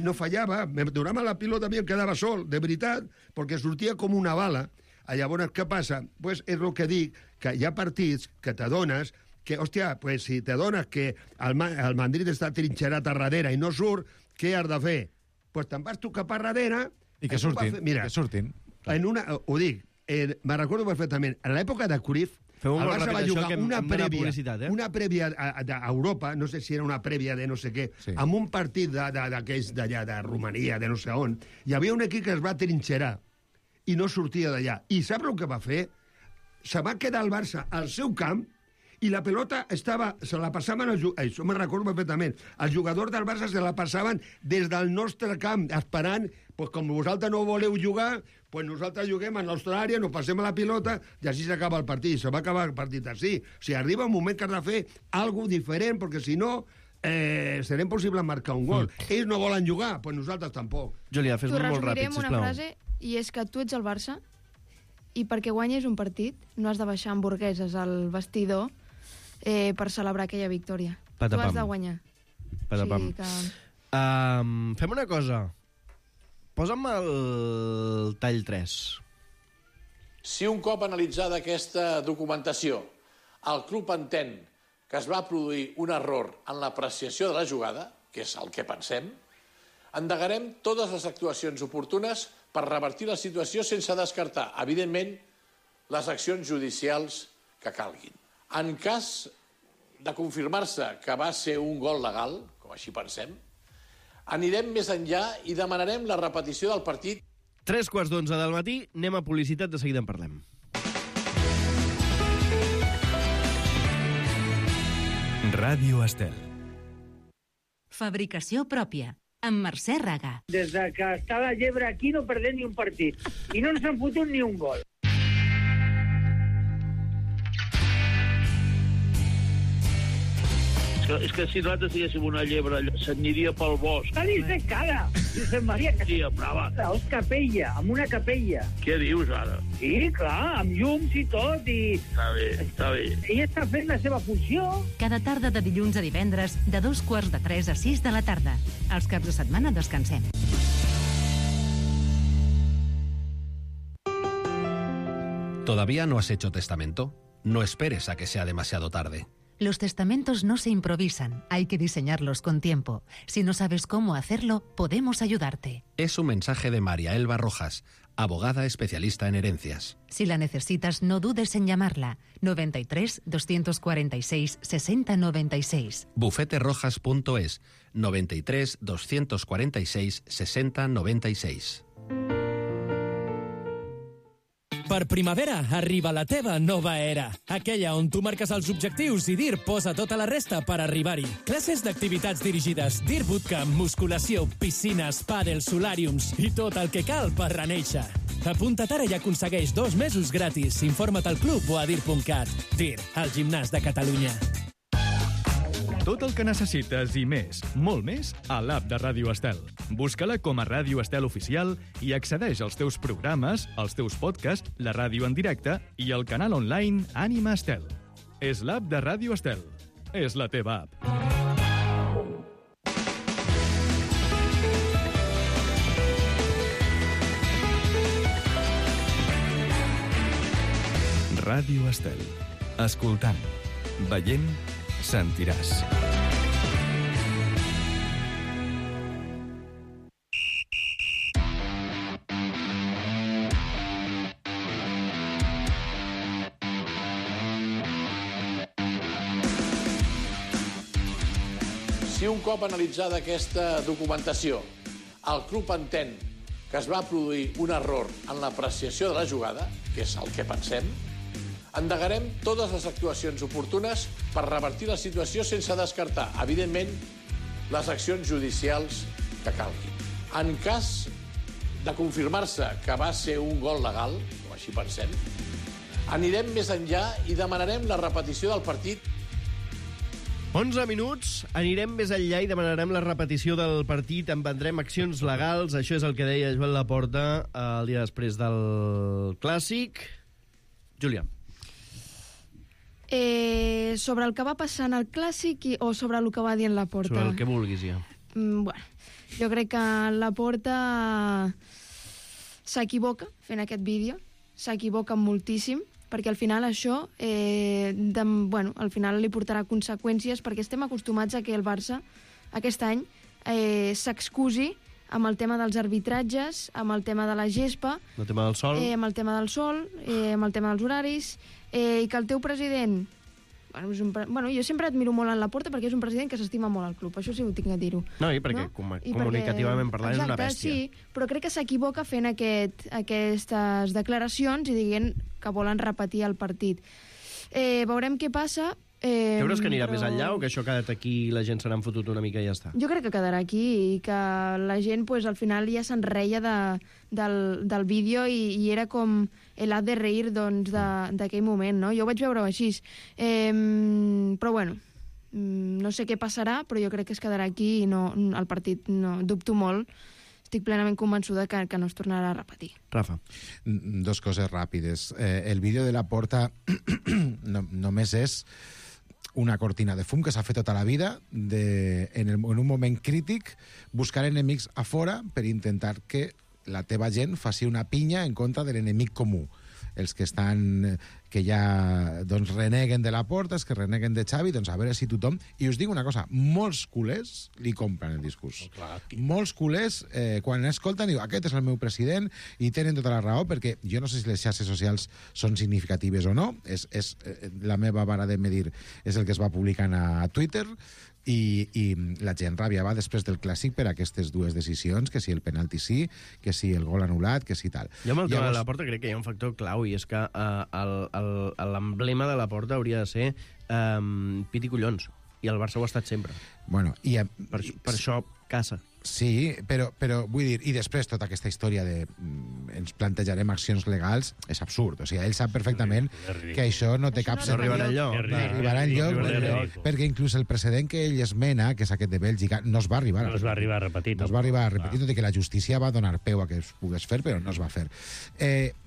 no fallava, me donava la pilota a mi, em quedava sol, de veritat, perquè sortia com una bala. Llavors, què passa? Pues és el que dic, que hi ha partits que t'adones que, hòstia, pues si t'adones que el Madrid està trinxerat a darrere i no surt, què has de fer? Pues te'n vas tu cap a darrere... I que surtin. Mira, que surtin. ho dic, me'n recordo perfectament, en l'època de Cruyff, el Barça va jugar una prèvia a Europa, no sé si era una prèvia de no sé què, amb un partit d'aquells d'allà, de Romania, de no sé on, hi havia un equip que es va trinxerar i no sortia d'allà. I sap el que va fer? Se va quedar el Barça al seu camp i la pelota se la passaven això me'n recordo perfectament, els jugadors del Barça se la passaven des del nostre camp, esperant, pues, com vosaltres no voleu jugar, pues nosaltres juguem en la nostra àrea, nos passem a la pilota i així s'acaba el partit. Se va acabar el partit així. O sigui, arriba un moment que has de fer alguna diferent, perquè si no serà impossible marcar un gol. Ells no volen jugar, pues nosaltres tampoc. Júlia, fes-ho molt ràpid, sisplau. T'ho resumiré amb una frase, i és que tu ets el Barça i perquè guanyis un partit no has de baixar hamburgueses al vestidor per celebrar aquella victòria. Patapam. Tu has de guanyar. Patapam. Fem una cosa. Posa'm el tall 3. Si un cop analitzada aquesta documentació, el club entén que es va produir un error en l'apreciació de la jugada, que és el que pensem, endegarem totes les actuacions oportunes per revertir la situació sense descartar, evidentment, les accions judicials que calguin. En cas de confirmar-se que va ser un gol legal, com així pensem, anirem més enllà i demanarem la repetició del partit. 3:15 del matí, anem a publicitat, de seguida en parlem. Ràdio Estel. Fabricació pròpia, amb Mercè Raga. Des que està la llebre aquí no perdem ni un partit. I no ens han fotut ni un gol. És que si nosaltres diguéssim una llebre, s'aniria pel bosc. Està dins de cara, Josep Maria. Sí, brava. És capella, amb una capella. Què dius, ara? Sí, clar, amb llums i tot, i... Està bé, està bé. Ella està fent la seva funció. Cada tarda de dilluns a divendres, de 2:45 a 6 de la tarda. Els caps de setmana descansem. ¿Todavía no has hecho testamento? No esperes a que sea demasiado tarde. Los testamentos no se improvisan, hay que diseñarlos con tiempo. Si no sabes cómo hacerlo, podemos ayudarte. Es un mensaje de María Elba Rojas, abogada especialista en herencias. Si la necesitas, no dudes en llamarla. 93 246 60 96. Bufeterojas.es 93 246 60 96. Per primavera arriba la teva nova era. Aquella on tu marques els objectius i DIR posa tota la resta per arribar-hi. Classes d'activitats dirigides, DIR Bootcamp, musculació, piscines, pàdel, solàriums i tot el que cal per renéixer. Apunta't ara i aconsegueix 2 mesos gratis. Informa't al club o a dir.cat. DIR, el gimnàs de Catalunya. Tot el que necessites i més, molt més, a l'app de Ràdio Estel. Busca-la com a Ràdio Estel Oficial i accedeix als teus programes, als teus podcasts, la ràdio en directe i el canal online Ànima Estel. És l'app de Ràdio Estel. És la teva app. Ràdio Estel. Escoltant, veient, sentiràs. Si un cop analitzada aquesta documentació, el club entén que es va produir un error en l'apreciació de la jugada, que és el que pensem, endegarem totes les actuacions oportunes per revertir la situació sense descartar, evidentment, les accions judicials que calguin. En cas de confirmar-se que va ser un gol legal, com així pensem, anirem més enllà i demanarem la repetició del partit. 11 minuts, anirem més enllà i demanarem la repetició del partit, emprendrem accions legals, això és el que deia Joel Laporta el dia després del Clàssic. Júlia. Sobre el que va passar en el Clàssic o sobre el que va dir en Laporta? Sobre el que vulguis, ja. Bueno, jo crec que Laporta s'equivoca fent aquest vídeo, s'equivoca moltíssim, perquè al final això al final li portarà conseqüències, perquè estem acostumats a que el Barça aquest any s'excusi amb el tema dels arbitratges, amb el tema de la gespa, El tema del sol. amb el tema del sol, amb el tema dels horaris, i que el teu president... Bueno, jo sempre admiro molt en Laporta perquè és un president que s'estima molt al club, això sí ho tinc a dir-ho. No, i perquè comunicativament parlant és una bèstia. Sí, però crec que s'equivoca fent aquestes declaracions i dient que volen repetir el partit. Veurem què passa. Creus que anirà més enllà o que això ha quedat aquí i la gent se n'han fotut una mica i ja està? Jo crec que quedarà aquí i que la gent pues, al final ja se'n reia del vídeo i era com el de reir doncs, d'aquell moment, no? Jo ho vaig veure així. Però bueno, no sé què passarà, però jo crec que es quedarà aquí i no, el partit no, dubto molt. Estic plenament convençuda que no es tornarà a repetir. Rafa. Dos coses ràpides. El vídeo de Laporta només és una cortina de fum que s'ha fet tota la vida en un moment crític buscar enemics a fora per intentar que la teva gent faci una pinya en contra de l'enemic comú. Els que ja doncs, reneguen de Laporta, els que reneguen de Xavi, doncs a veure si tothom... I us dic una cosa, molts culers li compren el discurs. Molts culers, quan escolten, diuen aquest és el meu president, i tenen tota la raó, perquè jo no sé si les xarxes socials són significatives o no, és la meva vara de medir és el que es va publicant a Twitter, i la gent rabiava després del Clàssic per aquestes dues decisions, que si el penalti sí, que si el gol anul·lat, que si tal. Jo amb el tema de Laporta crec que hi ha un factor clau i és que l'emblema de Laporta hauria de ser pit i collons, i el Barça ho ha estat sempre. Bueno, per això caça. Sí, però vull dir, i després tota aquesta història de ens plantejarem accions legals, és absurd. O sigui, ell sap perfectament que això no té cap sentit. No arribarà enlloc. No arribarà enlloc, perquè inclús el precedent que ell esmena, que és aquest de Bèlgica, no es va arribar a repetir. No es va arribar a repetir, tot i que la justícia va donar peu a que es pogués fer, però no es va fer.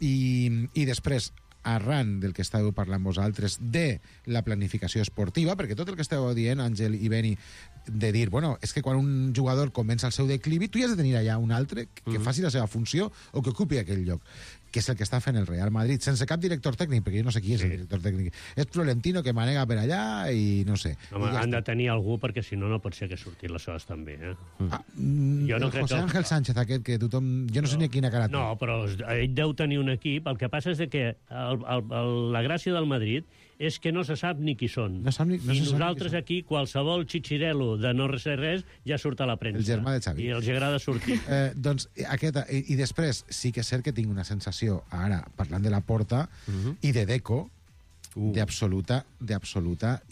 I després, arran del que estàveu parlant vosaltres, de la planificació esportiva, perquè tot el que estàveu dient, Àngel i Beni, de dir, bueno, és que quan un jugador comença el seu declivi, tu hi has de tenir allà un altre que faci la seva funció o que ocupi aquell lloc, que és el que està fent el Real Madrid, sense cap director tècnic, perquè jo no sé qui és el director tècnic. És Florentino que manega per allà i no sé. Home, han de tenir algú, perquè si no, no pot ser que surtin les coses també. Jo no crec José Ángel Sánchez, aquest que tothom... Jo no sé ni quina cara té. No, però ell deu tenir un equip. El que passa és que la gràcia del Madrid és que no se sap ni qui són. I nosaltres aquí, qualsevol xitxirelo de no res, ja surt a la premsa. El germà de Xavi. I els agrada sortir. Doncs i després sí que és cert que tinc una sensació, ara, parlant de Laporta i de Deco, d'absoluta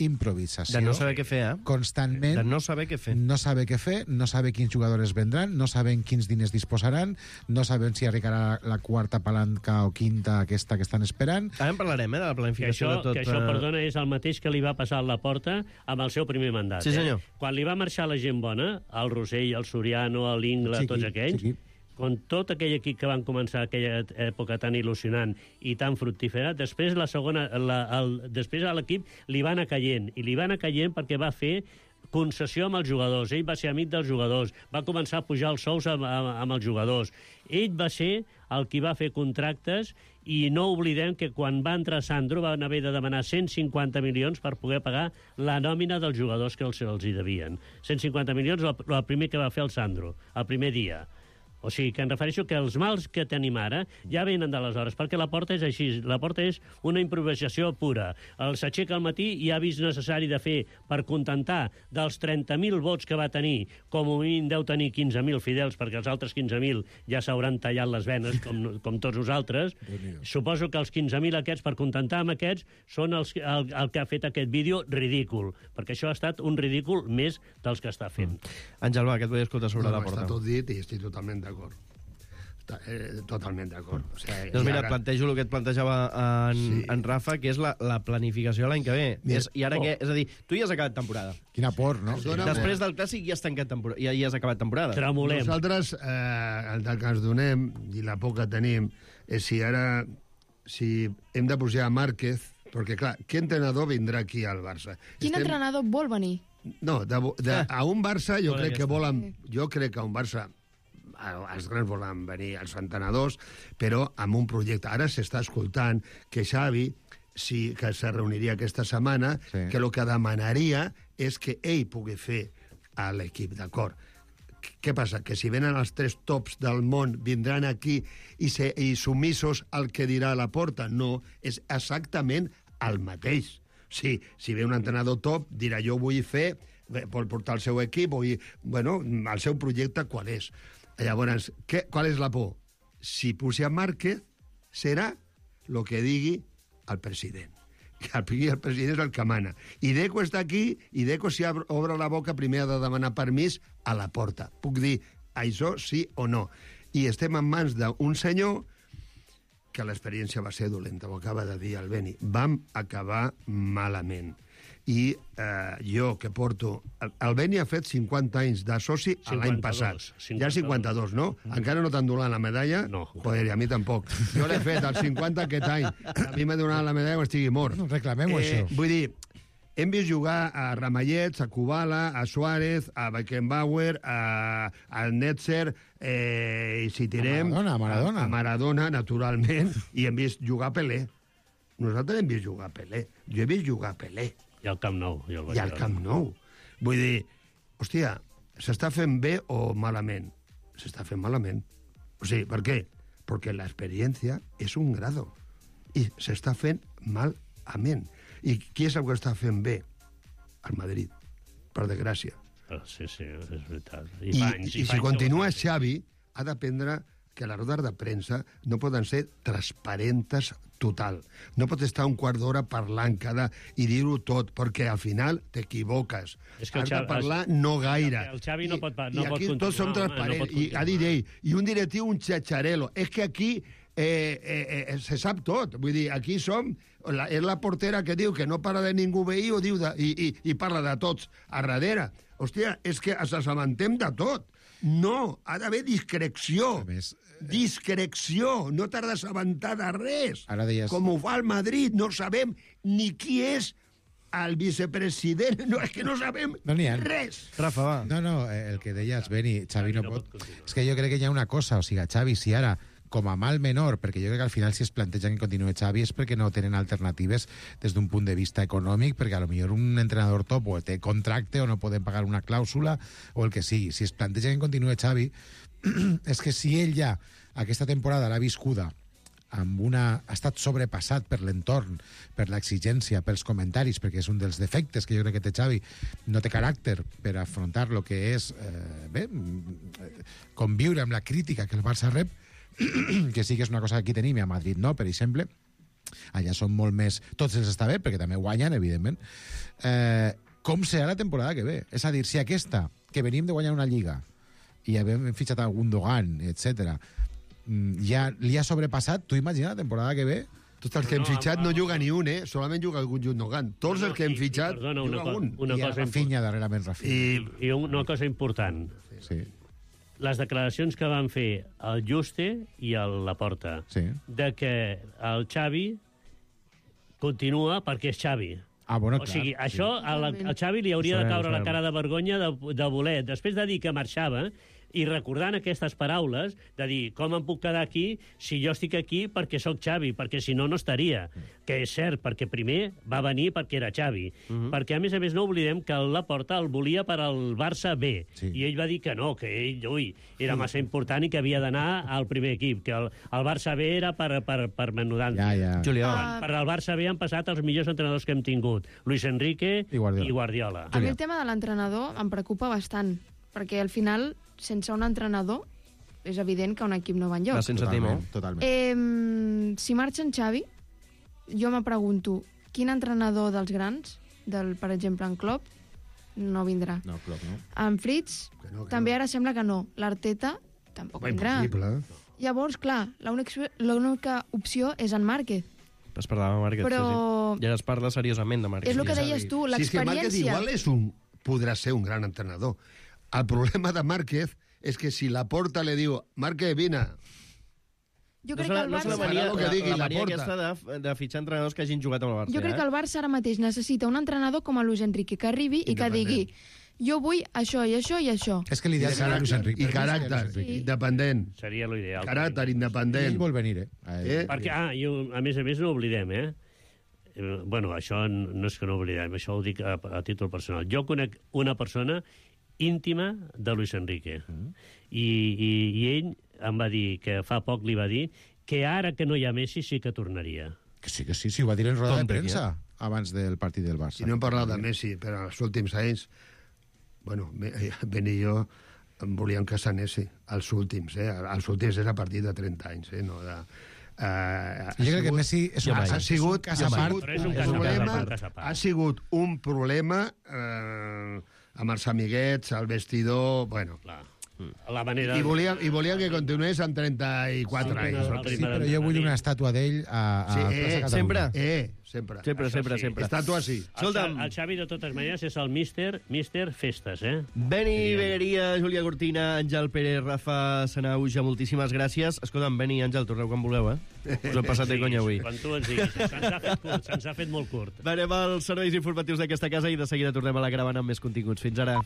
improvisació. De no saber què fer, Constantment. De no saber què fer. No saber què fer, no saber quins jugadors vendran, no saben quins diners disposaran, no saben si arribarà la quarta palanca o quinta aquesta que estan esperant. També en parlarem, de la planificació de tot. Que això, perdona, és el mateix que li va passar a Laporta amb el seu primer mandat. Sí, senyor. Quan li va marxar la gent bona, el Rossell, el Soriano, l'Ingla, tots aquells, con tot aquell equip que van començar aquella època tan il·lusionant i tan fructífera, després després a l'equip li va anar caient, i li va anar caient perquè va fer concessió amb els jugadors. Ell va ser amic dels jugadors, va començar a pujar els sous amb els jugadors. Ell va ser el qui va fer contractes i no oblidem que quan va entrar Sandro van haver de demanar 150 milions per poder pagar la nòmina dels jugadors que els hi devien. 150 milions el primer que va fer el Sandro, el primer dia. O sigui, que em refereixo que els mals que tenim ara ja venen d'aleshores, perquè Laporta és així. Laporta és una improvisació pura. S'aixeca al matí i ha vist necessari de fer, per contentar dels 30.000 vots que va tenir, com a mínim deu tenir 15.000 fidels, perquè els altres 15.000 ja s'hauran tallat les venes, com tots nosaltres. Suposo que els 15.000 aquests, per contentar amb aquests, són el que ha fet aquest vídeo ridícul, perquè això ha estat un ridícul més dels que està fent. Àngel, va, què et vull escoltar sobre Laporta? Està tot dit i estic totalment d'acord. Totalment d'acord. O sigui, doncs mira, et plantejo el que et plantejava en Rafa, que és la planificació l'any que ve. I ara què? És a dir, tu ja has acabat temporada. Quina por, no? Després del Clàssic ja has tancat temporada, ja has acabat temporada. Tremolem. Nosaltres, el que ens donem, i la por que tenim, és si hem de pujar a Márquez, perquè, clar, què entrenador vindrà aquí al Barça? Quin entrenador vol venir? No, a un Barça jo crec que a un Barça els grans volen venir, els entrenadors, però amb un projecte. Ara s'està escoltant que Xavi, que se reuniria aquesta setmana, que el que demanaria és que ell pugui fer a l'equip, d'acord, què passa? Que si venen els 3 tops del món, vindran aquí i sumissos al que dirà Laporta? No, és exactament el mateix. Sí, si ve un entrenador top, dirà jo vull fer, vol portar el seu equip, el seu projecte qual és. Llavors, qual és la por? Si puja Márquez, serà el que digui el president. El president és el que mana. I Deco està aquí, i Deco, si obre la boca, primer ha de demanar permís a Laporta. Puc dir això sí o no. I estem en mans d'un senyor que l'experiència va ser dolenta, ho acaba de dir el Beni. Vam acabar malament. I jo, que porto... El Beni ha fet 50 anys de soci l'any passat. Ja 52, no? Encara no t'han donat la medalla? No. Joder, i a mi tampoc. Jo l'he fet als 50 aquest any. A mi m'ha donat la medalla quan estigui mort. No reclamem això. Vull dir, hem vist jugar a Ramallets, a Kubala, a Suárez, a Beckenbauer, a Netzer, i si tirem... A Maradona, naturalment, i hem vist jugar a Pelé. Nosaltres hem vist jugar a Pelé. Jo he vist jugar a Pelé. I al Camp Nou. I al Camp Nou. Vull dir, hòstia, s'està fent bé o malament? S'està fent malament. O sigui, per què? Perquè l'experiència és un grado. I s'està fent malament. I qui és el que està fent bé? El Madrid, per desgràcia. Sí, és veritat. I si continua Xavi, ha d'aprendre que les rodes de premsa no poden ser transparentes total. No pot estar un quart d'hora parlant i dir-ho tot, perquè al final t'equivoques. Has de parlar no gaire. El Xavi no pot I aquí tots som transparents. I ha dit ell, i un directiu, un xatxarelo. És que aquí se sap tot. Vull dir, aquí som... És la portera que diu que no para de ningú veí i parla de tots a darrere. Hòstia, és que ens assabentem de tot. No, ha d'haver discreció. Discreció. No t'has d'assabentar de res. Com ho fa el Madrid. No sabem ni qui és el vicepresident. No, és que no sabem res. Rafa, va. No, el que deies, Beni, Xavi no pot... És que jo crec que hi ha una cosa, o sigui, Xavi, si ara com a mal menor, perquè jo crec que al final si es plantegen que continuï Xavi és perquè no tenen alternatives des d'un punt de vista econòmic, perquè a lo millor un entrenador top o té contracte o no poden pagar una clàusula o el que sigui. Si es plantegen que continuï Xavi, és que si ell ja aquesta temporada l'ha viscuda ha estat sobrepassat per l'entorn, per l'exigència, pels comentaris, perquè és un dels defectes que jo crec que té Xavi, no té caràcter per afrontar el que és conviure amb la crítica que el Barça rep, que sí que és una cosa que aquí tenim i a Madrid no, per exemple. Allà són molt més... Tots els està bé, perquè també guanyen, evidentment. Com serà la temporada que ve? És a dir, si aquesta, que venim de guanyar una lliga, i hem fitxat a Gundogan, etc., ja li ha sobrepassat, tu imagina la temporada que ve? Tots els que hem fitxat no juga ni un, solament juga el Gundogan. Tots els que hem fitxat juga un. I a Rafinha, darrerament Rafinha. I una cosa important. Sí. Les declaracions que van fer el Juste i el Laporta, de que el Xavi continua perquè és Xavi. Bueno, o sigui, això al Xavi li hauria de caure la cara de vergonya de voler, després de dir que marxava, i recordant aquestes paraules, de dir, com em puc quedar aquí si jo estic aquí perquè sóc Xavi, perquè si no, no estaria. Que és cert, perquè primer va venir perquè era Xavi. Perquè, a més, no oblidem que el Laporta el volia per al Barça B. I ell va dir que no, que ell, era massa important i que havia d'anar al primer equip, que el Barça B era per menudant. Per al Barça B han passat els millors entrenadors que hem tingut. Luis Enrique i Guardiola. A mi el tema de l'entrenador em preocupa bastant, perquè al final, sense un entrenador, és evident que un equip no va enlloc. Totalment. Si marxa en Xavi, jo me pregunto, quin entrenador dels grans, per exemple, en Klopp, no vindrà. No, Klopp no. En Fritz, també ara sembla que no. L'Arteta tampoc vindrà. Llavors, clar, l'única opció és en Márquez. Es parlava de Márquez, però... ja es parla seriosament de Márquez. És el que deies tu, l'experiència... Si és que Márquez igual podrà ser un gran entrenador. El problema de Márquez és que si Laporta li diu Márquez, vine. Jo crec que el Barça... La mania aquesta de fitxar entrenadors que hagin jugat amb el Barça. Jo crec que el Barça ara mateix necessita un entrenador com el Luis Enrique, que arribi i que digui jo vull això i això i això. És que l'ideal serà Luis Enrique. I caràcter independent. Seria l'ideal. Caràcter independent. Ell vol venir, Perquè, a més, no oblidem, Bueno, això no és que no oblidem, això ho dic a títol personal. Jo conec una persona íntima de Luis Enrique. I ell em va dir, que fa poc li va dir, que ara que no hi ha Messi sí que tornaria. Que sí, ho va dir en roda de premsa abans del partit del Barça. I no hem parlat de Messi, però els últims anys, bueno, Ben i jo volíem que s'anés, els últims, els últims és a partir de 30 anys, no de... jo crec que Messi és un problema amb els amiguets, al vestidor, bueno... La manera... I volien que continués amb 34 anys. Sí, però jo vull una estàtua d'ell a Plaça Catalunya. Sempre. Estàtua sí. El Xavi, de totes maneres, és el Mister Festes, Beni Begueria, Júlia Cortina, Àngel Pérez, Rafa Sanauja, moltíssimes gràcies. Escolta'm, Beni i Àngel, torneu quan voleu, Us hem passat de conya avui. Quan tu ens diguis. Se'ns ha fet molt curt. Anem als serveis informatius d'aquesta casa i de seguida tornem a la caravana amb més continguts. Fins ara.